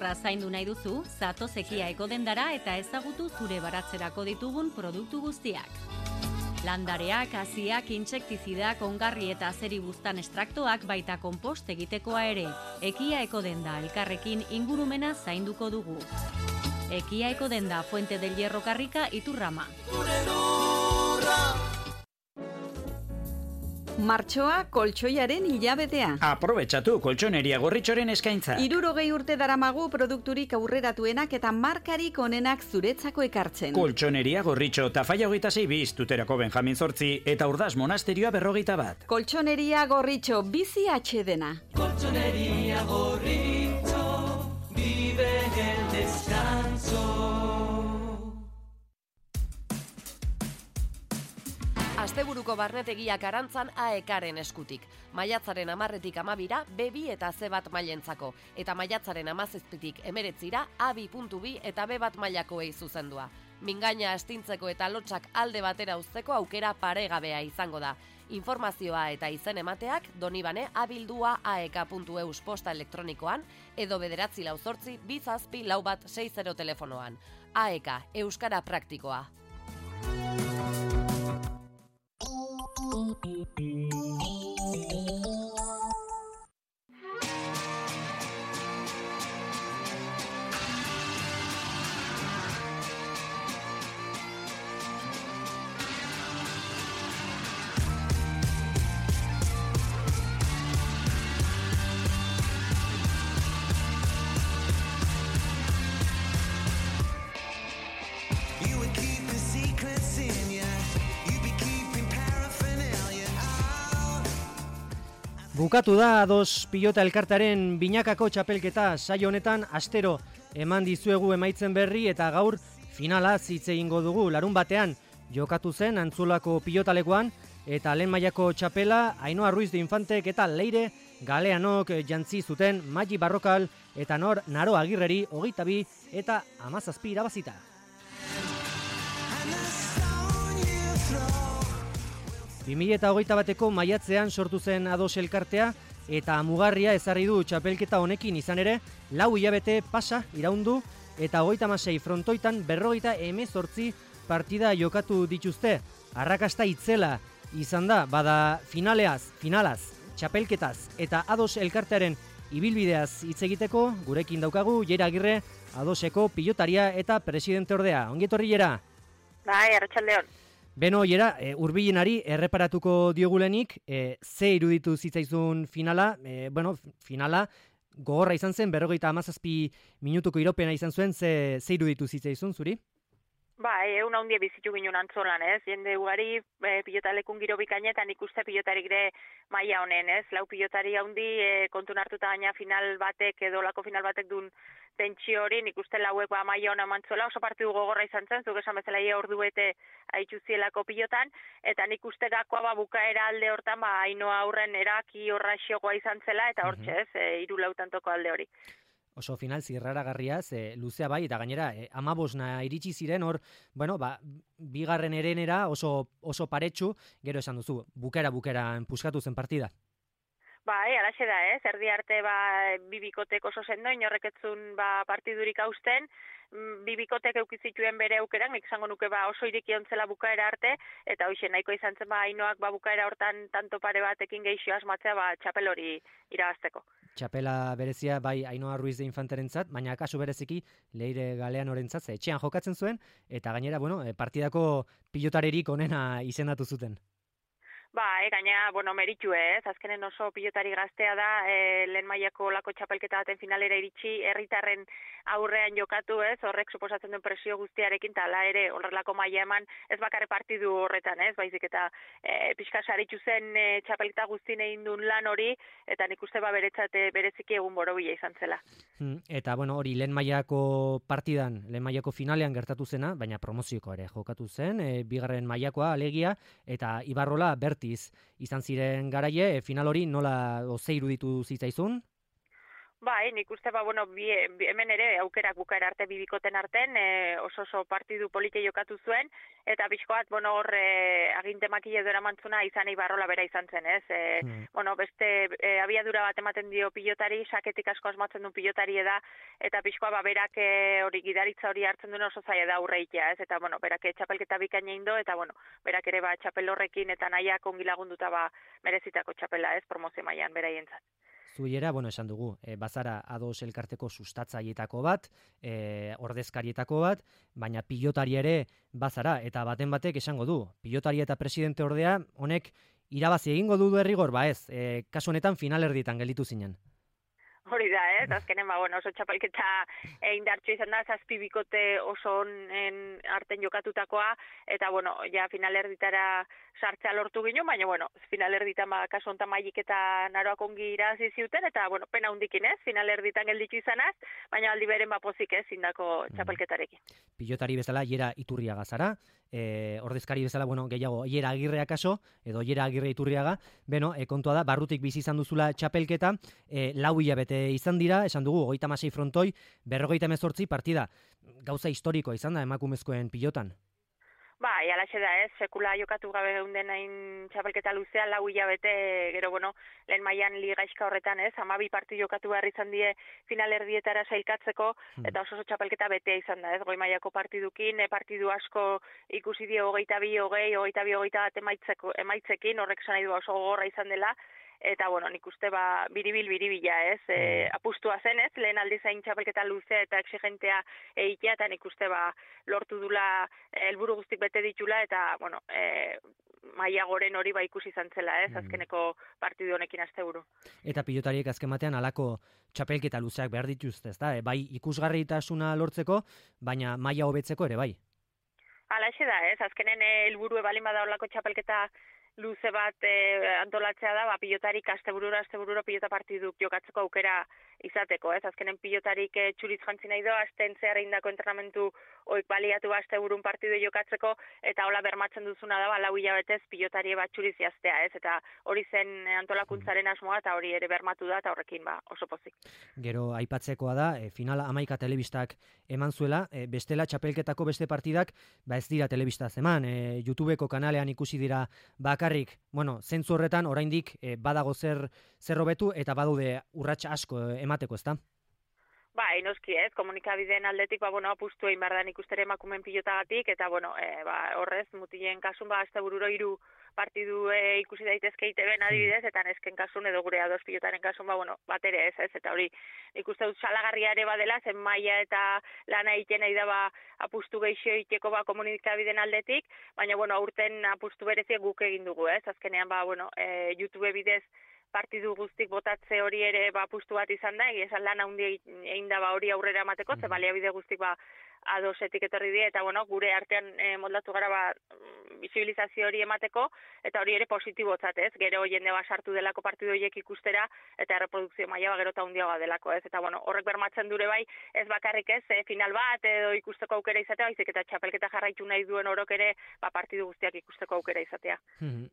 Speaker 12: belarra zaindu nahi duzu, zatoz Ekia Ekodendara eta ezagutu zure baratzerako ditugun produktu guztiak. Landareak, haziak, intsektizidak, ongarri eta azeribuztan estraktoak baita konpost egitekoa ere. Ekia Ekodenda elkarrekin ingurumena zainduko dugu. Ekia Ekodenda, Fuente del Hierro Karrika, Iturrama.
Speaker 13: Martxoa koltsoiaren hilabetea.
Speaker 14: Aprobetxatu koltsoneria gorritxoren eskaintza.
Speaker 13: Hirurogei urte daramagu produkturik aurreratuenak eta markarik onenak zuretzako ekartzen.
Speaker 14: Koltsoneria gorritxo, Tafaia hogeita sei biz, Tuterako Benjamin Zortzi eta Urdaz Monasterioa berrogeita bat.
Speaker 13: Koltsoneria gorritxo, bizi atxedena.
Speaker 9: Koltsoneria gorritxo, vive el descanso.
Speaker 15: Asteburuko barnetegiak arantzan A E K-ren eskutik. Maiatzaren amarretik amabira B bi eta C bat mailentzako. Eta maiatzaren amazazpitik emeretzira A bi puntu bi eta B bat mailakoei zuzendua. Mingaina astintzeko eta lotsak alde batera uzteko aukera paregabea izango da. Informazioa eta izen emateak Donibane abildua aek puntu eus posta elektronikoan edo bederatzi lau zortzi bizazpi lau bat sei zero telefonoan. A E K, Euskara Praktikoa.
Speaker 2: Bukatu da ados pilota elkartaren binakako txapelketa saio honetan astero eman dizuegu emaitzen berri eta gaur finala hitz egingo dugu. Larun batean jokatu zen Antzolako pilotalekuan eta lehen mailako txapela Ainhoa Ruiz de Infantek eta Leire Galeanok jantzi zuten Magi Barrokal eta Nor Naro Agirreri hogeita bi eta hamazazpi irabazita. bi mila hogeita bateko maiatzean sortu zen ados elkartea eta mugarria ezarri du txapelketa honekin izan ere, lau hilabete pasa iraundu eta hogeita hamasei frontoitan berrogeita hemezortzi partida jokatu dituzte. Arrakasta itzela izan da, bada finaleaz, finalaz, txapelketaz eta ados elkartearen ibilbideaz hitz egiteko, gurekin daukagu Jera Agirre, adoseko pilotaria eta presidente ordea. Ongi etorri Jera?
Speaker 16: Bai, arratsaldeon.
Speaker 2: Beno, Jera, e, urbilenari erreparatuko diogulenik, e, ze iruditu zitzaizun finala, e, bueno, finala gogorra izan zen, berrogeita hamazazpi minutuko iropena izan zuen, ze, ze iruditu zitzaizun zuri?
Speaker 16: Ba, egun handia bizitu ginen Antzolan, ez? Jende ugari e, pilotalekun giro bikainetan ikuste pilotarik de maila honen, ez? Lau pilotari handi e, kontun hartuta gaina final batek edo lako final batek duen tentsio hori, nik uste lauek ba maila hona mantzola, oso partidu gogorra izan zen, zuk esan bezala ia ordu bete haitxuzielako pilotan, eta nik uste gakoa ba bukaera alde hortan, ba Ainhoa aurren eraki horra xiogoa izan zela, eta hortxe ez, e, hiru lautantoko alde hori.
Speaker 2: Oso final zirraragarria, ze luzea bai, eta gainera, eh, amabosna iritsi ziren, hor, bueno, ba, bigarren erenera oso, oso paretsu, gero esan duzu, bukera bukera puskatu zen partida.
Speaker 16: Ba, e, alaxe da, ez, erdi arte, ba, bibikotek oso sendo, inorreketzun, ba, partidurik hausten, bibikotek eukizituen bere aukerak, nik izango nuke ba oso iriki ontzela bukaera arte, eta hoxe nahiko izan zen ba Ainhoak ba bukaera hortan tanto pare batekin geixo asmatzea ba txapel hori irabazteko.
Speaker 2: Txapela berezia bai Ainhoa Ruiz de Infanterentzat, baina kasu bereziki Leire Galeanorentzat etxean jokatzen zuen, eta gainera, bueno, partidako pilotarerik onena izendatu zuten.
Speaker 16: Ba, e, gaina, bueno, meritxu ez, azkenen oso pilotari gaztea da, e, lehen mailako lako txapelketa baten finalera iritsi, herritarren aurrean jokatu ez, horrek suposatzen duen presio guztiarekin, eta ala ere horrelako maila eman, ez bakarre partidu horretan ez, baizik eta e, pixka saritxu zen e, txapelketa guztien egin duen lan hori, eta nik uste ba beretzat bereziki egun borobila izan zela.
Speaker 2: Hmm, eta, bueno, hori lehen mailako partidan, lehen mailako finalean gertatu zena, baina promozioko ere jokatu zen, e, bigarren mailakoa alegia, eta Ibarrola Bertiz izan ziren garaie, e, final hori nola oze iruditu zitzaizun?
Speaker 16: Bai, nik uste ba, bueno, bi, bi, hemen ere aukerak bukaera arte bibikoten arten, e, oso oso partidu polite jokatu zuen, eta pixkoat, bueno, hor e, aginte makile dora mantzuna izan Ibarrola bera izan zen, ez? E, hmm. Bueno, beste e, abiadura bat ematen dio pilotari, saketik asko asmatzen du pilotari eda, eta pixkoa ba, berak e, hori gidaritza hori hartzen duen oso zaila da aurreitea, ez? Eta, bueno, berak txapelketa bikaina indo, eta, bueno, berak ere ba, txapel horrekin eta nahiak ongi lagunduta ba, merezitako txapela, ez? Promozio mailan beraientzat.
Speaker 2: Zuiera, bueno, esan dugu, e, bazara ados elkarteko sustatzaietako bat, e, ordezkarietako bat, baina pilotari ere bazara, eta baten batek esango du, pilotari eta presidente ordea, honek irabazi egingo du derrigor, ba ez, e, kasu honetan finalerdietan gelditu zinen.
Speaker 16: Hori da, ez, azkenen, ba, bueno, oso txapelketa indartxo izan da, zazpi bikote oso onen arten jokatutakoa, eta, bueno, ja finalerditara sartzea lortu gino, baina, bueno, finalerditan, ba, kasu ontan maik eta naroak ongi irazi ziuten, eta, bueno, pena hundikin, ez, finalerditan gelditu izanaz, baina aldi beren bapozik, ez, indako txapelketarekin.
Speaker 2: Pilotari bezala, Iera Iturriaga zara, e, ordezkari bezala, bueno, gehiago, Iera Agirrea kaso, edo Iera Agirre Iturriaga, beno, e, kontua da, barrutik bizi izan duzula txapelketa, e, lau hilabete izan dira, esan dugu, hogeita hamasei frontoi, berrogeita hemezortzi partida, gauza historikoa izan da emakumezkoen pilotan.
Speaker 16: Ba, jalaxe da, ez, sekula jokatu gabe geunden hain txapelketa luzea, lau hilabete, gero, bueno, lehen mailan ligaizka horretan, ez, hamabi parti jokatu behar izan die finalerdietara sailkatzeko, eta oso oso txapelketa betea izan da, ez, goi mailako partidukin, e, partidu asko ikusi die hogeita bi, hogei, hogeita bi, hogeita bat emaitzeko, emaitzekin, horrek esan nahi du oso gogorra izan dela, eta, bueno, nik uste, ba, biribil, biribila, ez, e, apustua zen, ez, lehen aldi zain txapelketa luzea eta exigentea eitea, eta nik uste, ba, lortu dula helburu guztik bete ditula, eta, bueno, e, maila goren hori ba ikusi izan zela, ez, azkeneko partidu honekin asteburu.
Speaker 2: Eta pilotariek azken batean halako txapelketa luzeak behar dituzte, ezta? E, bai ikusgarritasuna lortzeko, baina maila hobetzeko ere bai.
Speaker 16: Halaxe da, ez, azkenen helburu balin bada horlako txapelketa luze bat e, antolatzea da, ba, pilotarik asteburura, asteburura pilota partiduk jokatzeko aukera izateko, ez? Azkenen pilotarik e, txuriz jantzi nahi do, asten zehar indako entrenamentu oik baliatu asteburun partidu jokatzeko, eta hola bermatzen duzuna da, ba, lau hilabetez pilotari bat txuriz jaztea, ez? Eta hori zen antolakuntzaren asmoa, eta hori ere bermatu da, eta horrekin ba, oso pozik.
Speaker 2: Gero aipatzekoa da, e, finala amaika telebistak eman zuela, e, bestela txapelketako beste partidak, ba ez dira telebistaz eman, e, YouTubeko kanalean ikusi dira bakarrik, bueno, zentzu horretan oraindik e, badago zer zer hobetu eta badude urrats asko e, emateko, ezta?
Speaker 16: Ba, inoski ez, komunikabideen aldetik, ba, bueno, apustu egin behar da nik ustere emakumen pilotagatik, eta, bueno, e, ba, horrez, mutilen kasun, ba, astebururo hiru partidu e, ikusi daitezke I T B-en adibidez, eta nesken kasun edo gure ados pilotaren kasun, ba, bueno, bat ere ez, ez, eta hori, nik uste dut salagarria ere badela, zen maila eta lana egiten nahi da, ba, apustu geixo egiteko, ba, komunikabideen aldetik, baina, bueno, aurten apustu bereziek guk egin dugu, ez, azkenean, ba, bueno, e, YouTube bidez, partidu guztik botatze hori ere ba apustu bat izan da, egia lan handi egin da ba hori aurrera emateko, ze baliabide guztik ba adosetik etorri die, eta bueno, gure artean e, moldatu gara ba bisibilizazio hori emateko, eta hori ere positibotzat, ez? Gero jende ba sartu delako partidu horiek ikustera, eta erreprodukzio maila ba gero eta handiagoa delako, ez? Eta bueno, horrek bermatzen dure bai, ez bakarrik ez, e, final bat edo ikusteko aukera izatea, baizik eta txapelketa jarraitu nahi duen orok ere, ba partidu guztiak ikusteko aukera izatea.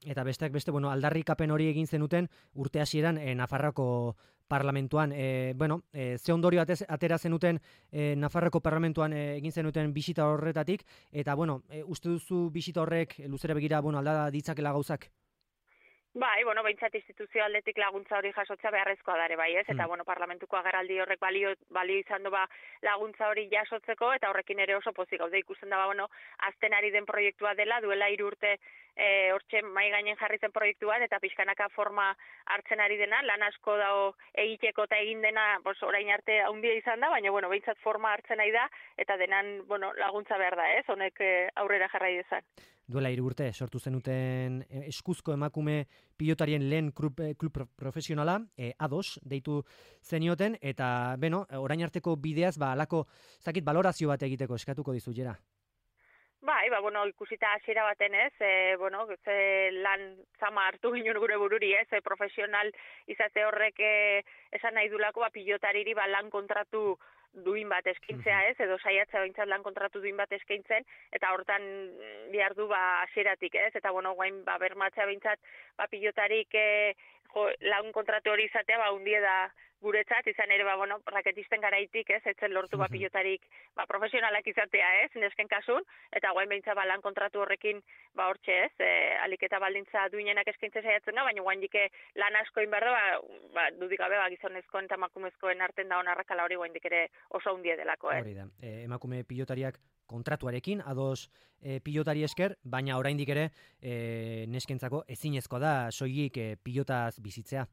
Speaker 2: Eta besteak beste, bueno, aldarrikapen hori egin zenuten urte hasieran e, Nafarroako parlamentuan, e, bueno, e, ze ondorio atera zenuten e, Nafarroako parlamentuan e, egin zenuten bisita horretatik, eta, bueno, e, uste duzu bisita horrek luzera begira, bueno, alda ditzakela gauzak?
Speaker 16: Bai, bueno, behintzat instituzio aldetik laguntza hori jasotzea beharrezkoa dare bai, ez? Eta, mm. bueno, parlamentuko agerraldi horrek balio, balio izan du ba, laguntza hori jasotzeko, eta horrekin ere oso pozik gaude ikusten da, ba, bueno, azten ari den proiektua dela, duela hiru urte e, hortxe mai gainen jarri zen proiektu bat, eta pixkanaka forma hartzen ari dena, lan asko dago egiteko eta egin dena, bos, orain arte handia izan da, baina, bueno, behintzat forma hartzen ari da, eta denan, bueno, laguntza behar da, ez? Honek e, aurrera jarrai dezan.
Speaker 2: Duela hiru urte sortu zenuten eskuzko emakume pilotarien lehen klub, klub profesionala, e, ados, deitu zenioten, eta, beno, orain arteko bideaz, ba, alako, zakit, balorazio bat egiteko eskatuko dizu, Jera?
Speaker 16: Bai, ba, bueno, ikusita hasiera baten ez, e, bueno, ze lan zama hartu ginen gure bururi ez, e, profesional izate horrek e, esan nahi dulako, ba, pilotariri ba, lan kontratu duin bat eskintzea ez, edo saiatzea behintzat lan kontratu duin bat eskintzen, eta hortan behar du ba hasieratik ez, eta bueno, guain ba bermatzea behintzat ba pilotarik e, jo, lan kontratu hori izatea, ba, hundie da guretzat, izan ere, ba, bueno, raketisten garaitik, ez, etzen lortu ba, pilotarik, ba, profesionalak izatea, ez, nesken kasun, eta guain behintza, ba, lan kontratu horrekin, ba, hortxe, ez, e, alik eta baldintza duinenak eskaintze saiatzen da, baina guain dike lan asko inberdo, ba, ba, dudik gabe, ba, gizonezkoen eta emakumezkoen arten da onarrakala hori guain ere oso hundie delako, eh.
Speaker 2: Hori da, e, emakume pilotariak kontratuarekin, ados e, pilotari esker, baina oraindik ere e, neskentzako ezinezkoa da soilik e, pilotaz bizitzea.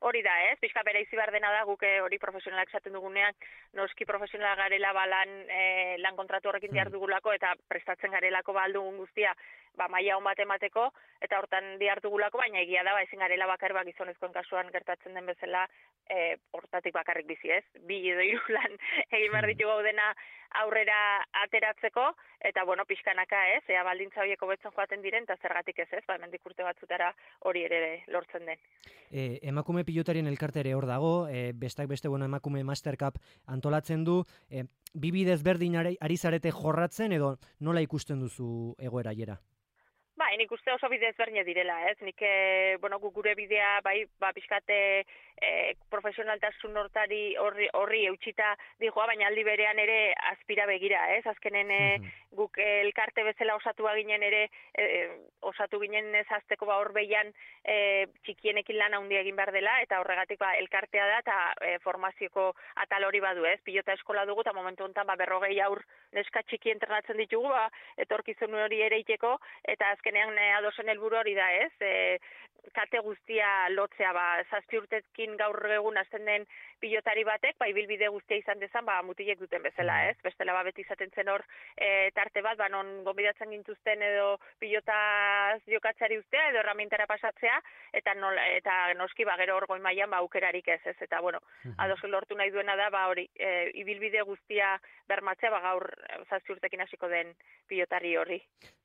Speaker 16: Hori da, ez? Pixka bere izi behar dena da, guk hori profesionalak esaten dugunean, noski profesionalak garela ba, lan, e, lan kontratu horrekin diar dugulako, eta prestatzen garelako ba, aldugun guztia, ba, maila hon bat emateko, eta hortan diar dugulako, baina egia da, ba, ezin garela bakar, ba, gizonezkoen kasuan gertatzen den bezala, e, hortatik bakarrik bizi, ez? Bi edo hiru lan egin behar ditugu gaudena aurrera ateratzeko, eta, bueno, pixkanaka, ez? Ea baldintza horiek hobetzen joaten diren, eta zergatik ez, ez? Ba, hemendik urte batzutara hori ere lortzen den.
Speaker 2: E, emakume pilotarien elkarte ere hor dago, e, bestak beste, bueno, emakume Master Cup antolatzen du, e, bi bidez berdin ari, ari zarete jorratzen, edo nola ikusten duzu egoera jera?
Speaker 16: Ba, nik uste oso bide ezberdina direla, ez? Nik, e, bueno, gure bidea, bai, ba, pixkate e, profesionaltasun hortari horri, horri eutxita dijoa, baina aldi berean ere aspira begira, ez? Azkenen e, guk elkarte bezala osatu ginen ere, e, osatu ginen ez azteko ba hor behian e, txikienekin lan handia egin behar dela, eta horregatik ba, elkartea da, eta e, formazioko atal hori badu, ez? Pilota eskola dugu, eta momentu honetan ba, berrogei aur neska txiki entrenatzen ditugu, ba, etorkizun hori ere iteko, eta azkenean e, adosen helburu hori da, ez? E, kate guztia lotzea, ba, zazpi urtekin gaur egun azten den pilotari batek, ba, ibilbide guztia izan dezan, ba, mutilek duten bezala, ez? Bestela, ba, beti izaten zen hor e, tarte bat, ba, non gonbidatzen gintuzten edo pilotaz jokatzeari ustea, edo erramintara pasatzea, eta, nola, eta noski, ba, gero hor goi mailan, ba, aukerarik ez, ez? Eta, bueno, adosu lortu nahi duena da, ba, hori, e, ibilbide guztia bermatzea, ba, gaur zazpi urtekin hasiko den pilotari horri.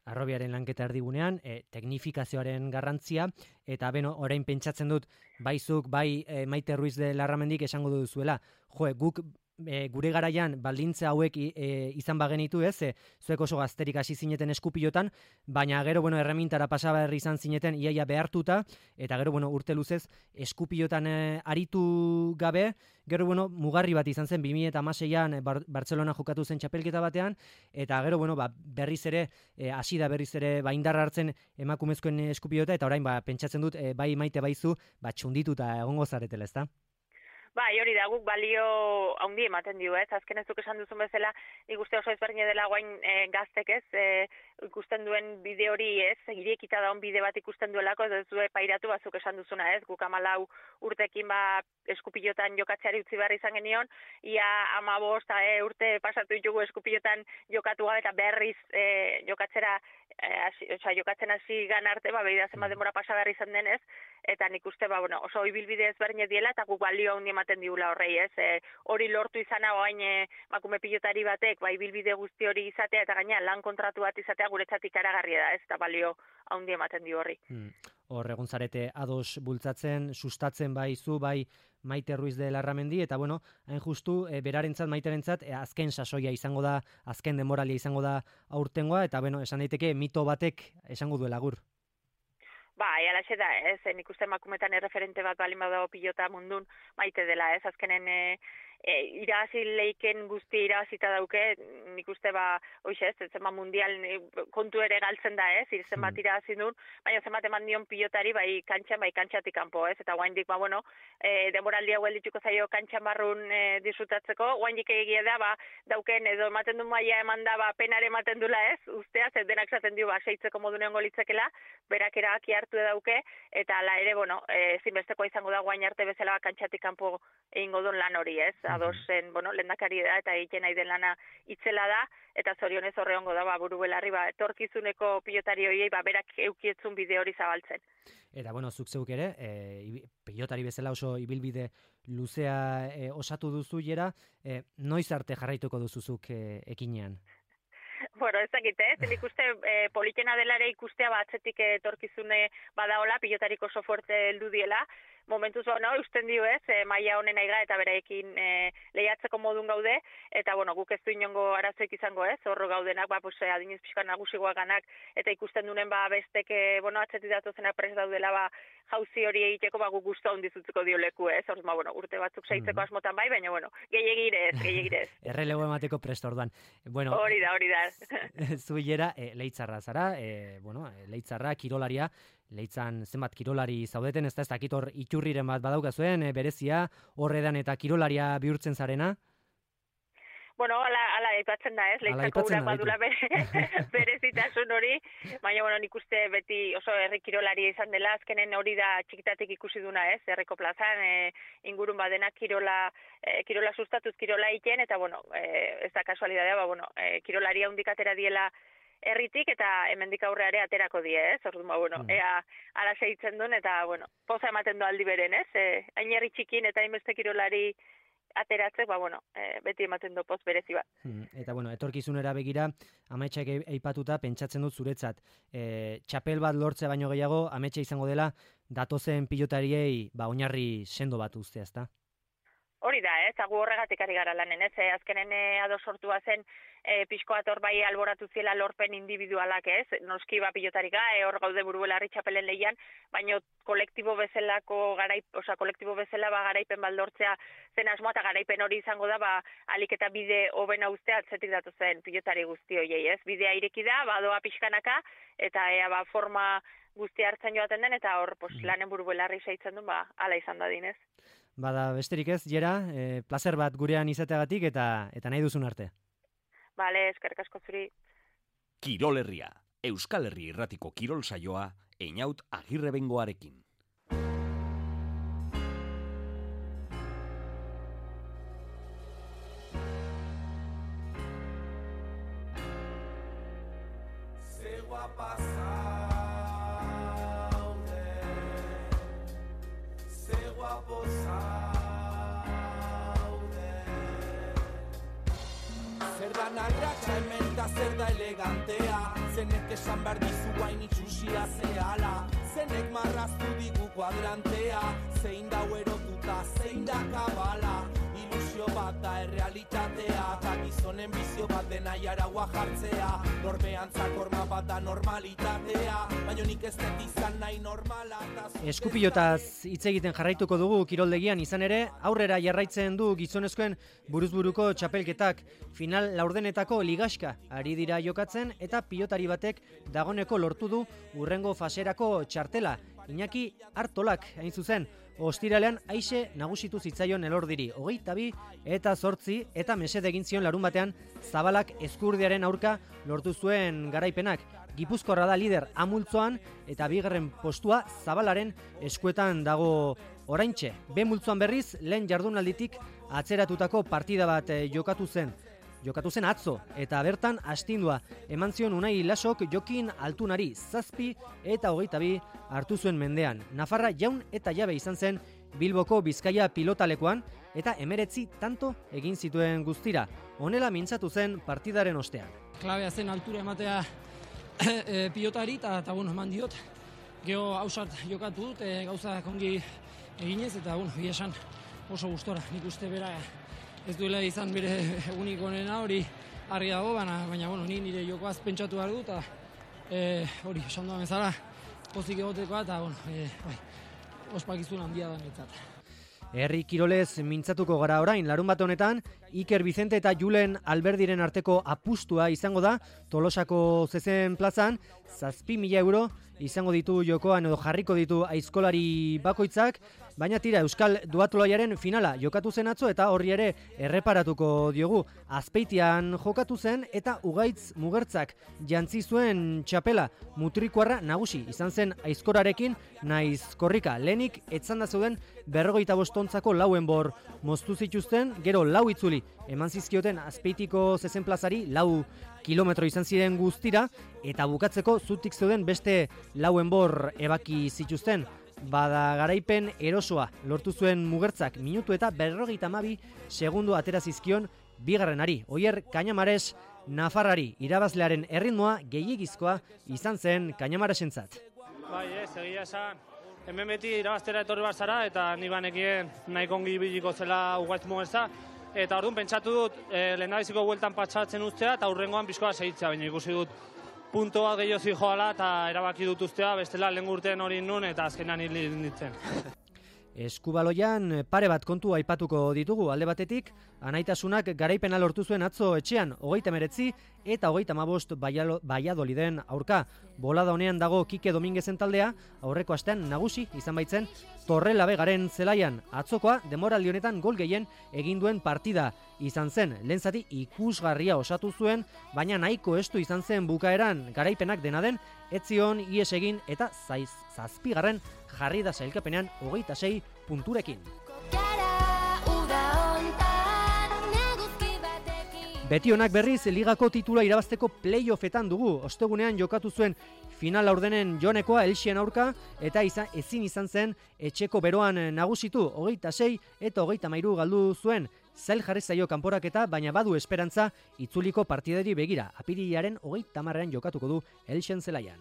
Speaker 2: Arrobiaren lanketa erdigunean, e, teknifikazioaren garrantzia, eta beno, orain pentsatzen dut, baizuk, bai e, Maite Ruiz de Larramendik esango duzuela, jo, guk e, gure garaian baldintza hauek e, izan bagenitu, ez, e, zuek oso gazterik hasi zineten eskupilotan, baina gero, bueno, erremintara pasaberri izan zineten iaia behartuta, eta gero, bueno, urte luzez eskupilotan e, aritu gabe, gero, bueno, mugarri bat izan zen, bi mila hamaseian Bar Bartzelona jokatu zen txapelketa batean, eta gero, bueno, ba, berriz ere, e, hasi da berriz ere, ba, indarra hartzen emakumezkoen eskupilota, eta orain, ba, pentsatzen dut, e, bai Maite baizu, ba, txundituta egongo zaretela, ezta?
Speaker 16: Bai, hori da, guk balio handi ematen dio, ez? Azken ez duk esan duzun bezala, ikuste oso ezberdina dela guain e, gaztek, ez? E, ikusten duen bide hori, ez? Irekita daun bide bat ikusten duelako, ez du pairatu bazuk esan duzuna, ez? Guk amalau urtekin ba eskupilotan jokatzeari utzi behar izan genion, ia amabost e, urte pasatu ditugu eskupilotan jokatu gabe eta berriz e, jokatzera, e, asi, oza, jokatzen hasi gan arte, ba, behida zenbat denbora pasa behar izan denez, eta nik uste, ba, bueno, oso ibilbide ezberdina diela, eta guk balio handi ematen diula horrei, ez? E, hori lortu izana oain e, makume pilotari batek, ba, ibilbide guzti hori izatea, eta gaina lan kontratu bat izatea guretzat ikaragarria da, ez? Eta balio handi ematen di horri.
Speaker 2: Hmm. Hor egon zarete ados bultzatzen, sustatzen bai zu, bai Maite Ruiz de Larramendi, eta bueno, hain justu, e, berarentzat, Maiterentzat, e, azken sasoia izango da, azken demoralia izango da aurtengoa, eta bueno, esan daiteke mito batek esango duela gur.
Speaker 16: Ba, alaxe da, ez, nik uste emakumetan erreferente bat balin badago pilota mundun Maite dela, ez, azkenen e, e, irabazi leiken guzti irabazita dauke, nik uste ba, oixe ez, zenbat mundial kontu ere galtzen da, ez, zenbat hmm. irabazi duen, baina zenbat eman dion pilotari, bai kantxan, bai kantxatik kanpo, ez, eta guaindik, ba, bueno, e, demoraldi hau eldituko zaio kantxan barrun e, disfrutatzeko, guaindik egia da, ba, dauken, edo ematen du maia eman da, ba, penare ematen dula, ez, ustea, ez denak zaten dio, ba, seitzeko modu neongo litzekela, berak erabaki hartu dauke, eta ala ere, bueno, e, zinbestekoa izango da guain arte bezala ba, kantxatik kanpo egingo duen lan hori, ez, adosen, bueno, lehendakari da, eta egiten nahi den lana itzela da, eta zorionez horre hongo da, ba, buru belarri, ba, etorkizuneko pilotari horiei, ba, berak eukietzun bide hori zabaltzen.
Speaker 2: Eta, bueno, zuk zeuk ere, e, pilotari bezala oso ibilbide luzea e, osatu duzu jera, e, noiz arte jarraituko duzuzuk e, ekinean?
Speaker 16: Bueno, ez dakit, ez, nik uste e, politena dela ere ikustea batzetik etorkizune badaola, pilotarik oso fuerte heldu diela, momentuz ba, no, usten dio ez, e, maila honen aiga eta bereekin e, lehiatzeko modun gaude, eta bueno, guk ez du inongo arazoik izango ez, horro gaudenak, ba, pues, adinez pixkan nagusigoak ganak, eta ikusten dunen ba, bestek, e, bueno, atzetik datozenak prest daudela, ba, jauzi hori egiteko bagu gustu handi zutzuko dio leku, ez? Orduan, ba, bueno, urte batzuk seitzeko asmotan bai, baina bueno, gehiegire ez, gehiegire ez.
Speaker 2: Errelego emateko prest orduan. Bueno,
Speaker 16: hori da, hori da.
Speaker 2: Zu hilera, e, Leitzarra zara, e, bueno, Leitzarra, kirolaria, Leitzan zenbat kirolari zaudeten, ez da, ez dakit hor iturriren bat badaukazuen, e, berezia, horredan eta kirolaria bihurtzen zarena?
Speaker 16: Bueno, ala, ala aipatzen da, ez? Leitzako urak badula berezitasun hori, baina, bueno, nik uste beti oso herri kirolari izan dela, azkenen hori da txikitatik ikusi duna, ez? Herriko plazan, e, ingurun badenak kirola, e, kirola sustatuz, kirola iten, eta, bueno, e, ez da kasualidadea, ba, bueno, e, kirolaria hundik atera diela herritik, eta hemendik aurreare aterako die, ez? Orduan, ba, bueno, mm. ea ala segitzen duen, eta, bueno, poza ematen du aldi beren, ez? E, hain herri txikin eta hainbeste kirolari ateratzek, ba, bueno, e, beti ematen du poz berezi bat.
Speaker 2: Hmm, eta, bueno, etorkizunera begira, ametsak eipatuta, pentsatzen dut zuretzat. E, txapel bat lortzea baino gehiago, ametsa izango dela, datozen pilotariei, ba, oinarri sendo bat ustea, ezta?
Speaker 16: Hori da, ez, agu horregatik ari gara lanen, ez, e, azkenen e, ado sortua zen, e, pixko bat hor bai alboratu ziela lorpen individualak, ez, noski ba pilotarika, e, hor gaude burubelarri txapelen lehian, baino kolektibo bezalako garaip, oza, kolektibo bezala ba garaipen baldortzea zen asmoa, eta garaipen hori izango da, ba, alik eta bide hobena ustea atzetik datu zen pilotari guzti hoiei, ez, bidea ireki da, badoa pixkanaka, eta ea ba forma guzti hartzen joaten den, eta hor, pos, lanen burubelarri saitzen duen, ba, ala izan da dinez.
Speaker 2: Bada, besterik ez, Jera, e, placer bat gurean izateagatik eta eta nahi duzun arte.
Speaker 16: Bale, eskerrik asko zuri.
Speaker 1: Kirol Herria, Euskal Herri irratiko kirol saioa, Einaut Agirrebengoarekin.
Speaker 9: Se guapa se guapo zer da narratxa hemen da zer da elegantea, zenek esan behar dizu guain itxusia zehala, zenek marraztu digu kuadrantea, zein da erotuta, zein da kabala, ilusio bat da errealitatea, eta gizonen bizio bat dena jaragua jartzea, norbean zakorma bat da normalitatea, baina nik ez dut izan nahi normala.
Speaker 2: Eskupilotaz hitz egiten jarraituko dugu kiroldegian, izan ere, aurrera jarraitzen du gizonezkoen buruzburuko txapelketak, final laurdenetako ligaxka ari dira jokatzen, eta pilotari batek dagoneko lortu du urrengo faserako txartela. Iñaki Artolak, hain zuzen, ostiralean aixe nagusitu zitzaion elordiri, hogeita bi eta zortzi, eta mesede egin zion larun batean Zabalak Ezkurdiaren aurka lortu zuen garaipenak. Gipuzkoarra da lider amultzoan, eta bigarren postua Zabalaren eskuetan dago oraintxe. B multzoan berriz, lehen jardunalditik atzeratutako partida bat jokatu zen. Jokatu zen atzo, eta bertan astindua eman zion Unai Lasok Jokin Altunari zazpi eta hogeita bi hartu zuen mendean. Nafarra jaun eta jabe izan zen Bilboko Bizkaia pilotalekoan, eta emeretzi tanto egin zituen guztira. Honela mintzatu zen partidaren ostean.
Speaker 17: Klabea zen altura ematea e, pilotari, eta bueno, eman diot. Geho hausart jokatu dut, e, gauza kongi eginez, eta bueno, esan oso gustora. Nik uste bera ez duela izan bere egunik onena, hori argi dago, baina, baina bueno, ni nire jokoaz pentsatu behar dut, eta e, hori, esan duan bezala, pozik egotekoa, eta bueno, e, bai, ospakizun handia da netzat.
Speaker 2: Herri kirolez mintzatuko gara orain, larun bat honetan, Iker Vicente eta Julen Alberdiren arteko apustua izango da, Tolosako zezen plazan, zazpi mila euro izango ditu jokoan edo jarriko ditu aizkolari bakoitzak, baina tira Euskal Duatlonaren finala jokatu zen atzo, eta horri ere erreparatuko diogu. Azpeitian jokatu zen eta Ugaitz Mugertzak jantzi zuen txapela, mutrikuarra nagusi izan zen aizkorarekin naiz korrika. Lehenik etzanda zeuden berrogeita bostontzako lauen bor moztu zituzten, gero lau itzuli eman zizkioten Azpeitiko zezen plazari, lau kilometro izan ziren guztira, eta bukatzeko zutik zeuden beste lauen bor ebaki zituzten. Bada garaipen erosoa lortu zuen Mugertzak, minutu eta berrogeita hamabi segundo atera zizkion bigarrenari. Oier Kañamares Nafarrari, irabazlearen erritmoa gehiegizkoa izan zen Kañamaresentzat.
Speaker 18: Bai, ez, egia esan, hemen beti irabaztera etorri bat zara, eta ni banekien nahiko ongi biliko zela Ugaitz Mugertza, eta orduan pentsatu dut, e, lehendabiziko bueltan patxatzen ustea, eta hurrengoan pixkoa segitzea, baina ikusi dut punto bat gehiago zijoala eta erabaki dut ustea, bestela lehen urtean hori nun eta azkenan hil nintzen.
Speaker 2: Eskubaloian pare bat kontu aipatuko ditugu. Alde batetik, anaitasunak garaipena lortu zuen atzo etxean hogeita hemeretzi eta hogeita hamabost Valladoliden aurka. Bolada honean dago Kike Dominguezen taldea, aurreko astean nagusi izan baitzen Torrelavegaren zelaian. Atzokoa denboraldi honetan gol gehien egin duen partida izan zen. Lehen zati ikusgarria osatu zuen, baina nahiko estu izan zen bukaeran. Garaipenak dena den, etzion ies egin eta zaiz, zazpigarren jarri da sailkapenean hogeita sei punturekin. Betionak berriz ligako titula irabazteko playoffetan dugu. Ostegunean jokatu zuen final laurdenen Jonekoa Elxien aurka eta izan, ezin izan zen etxeko beroan nagusitu. Hogeita sei eta hogeita hamairu galdu zuen. Zail jarri zaio kanporaketa, baina badu esperantza itzuliko partidari begira. Apirilaren hogeita hamarrean jokatuko du Elxien zelaian.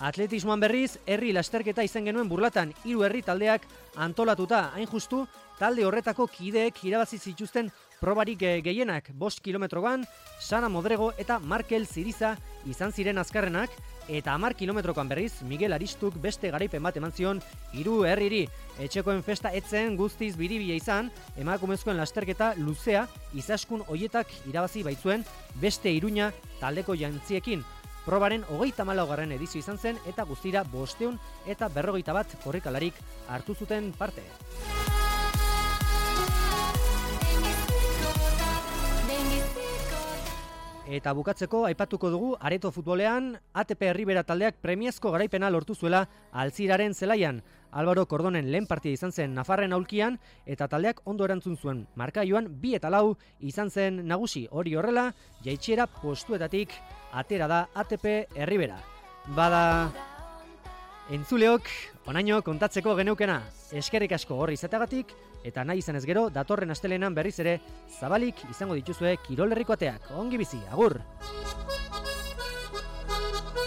Speaker 2: Atletismoan berriz, herri lasterketa izan genuen Burlatan, hiru herri taldeak antolatuta. Hain justu, talde horretako kideek irabazi zituzten probarik gehienak. Bost kilometroan, Sana Modrego eta Markel Ziriza izan ziren azkarrenak, eta hamar kilometrokan berriz, Miguel Aristuk beste garaipen bat eman zion hiru herriri. Etxekoen festa etzen guztiz biribila izan, emakumezkoen lasterketa luzea, izaskun hoietak irabazi baitzuen beste Iruña taldeko jantziekin. Probaren hogeita hamalaugarren edizio izan zen eta guztira bosteun eta berrogeita bat korrikalarik hartu zuten parte. Eta bukatzeko aipatuko dugu Areto futbolean A T P Herribera taldeak premiazko garaipena lortu zuela Altziraren zelaian. Álvaro Cordonen lehen partida izan zen Nafarren aulkian eta taldeak ondo erantzun zuen. Markaioan bi eta lau izan zen nagusi. Hori horrela, jaitsiera postuetatik atera da A T P Herribera. Bada entzuleok, onaino kontatzeko geneukena. Eskerrik asko horri izateagatik, eta nahi izanez gero, datorren astelenan berriz ere zabalik izango dituzue Kirol Herriko ateak. Ongi bizi, agur!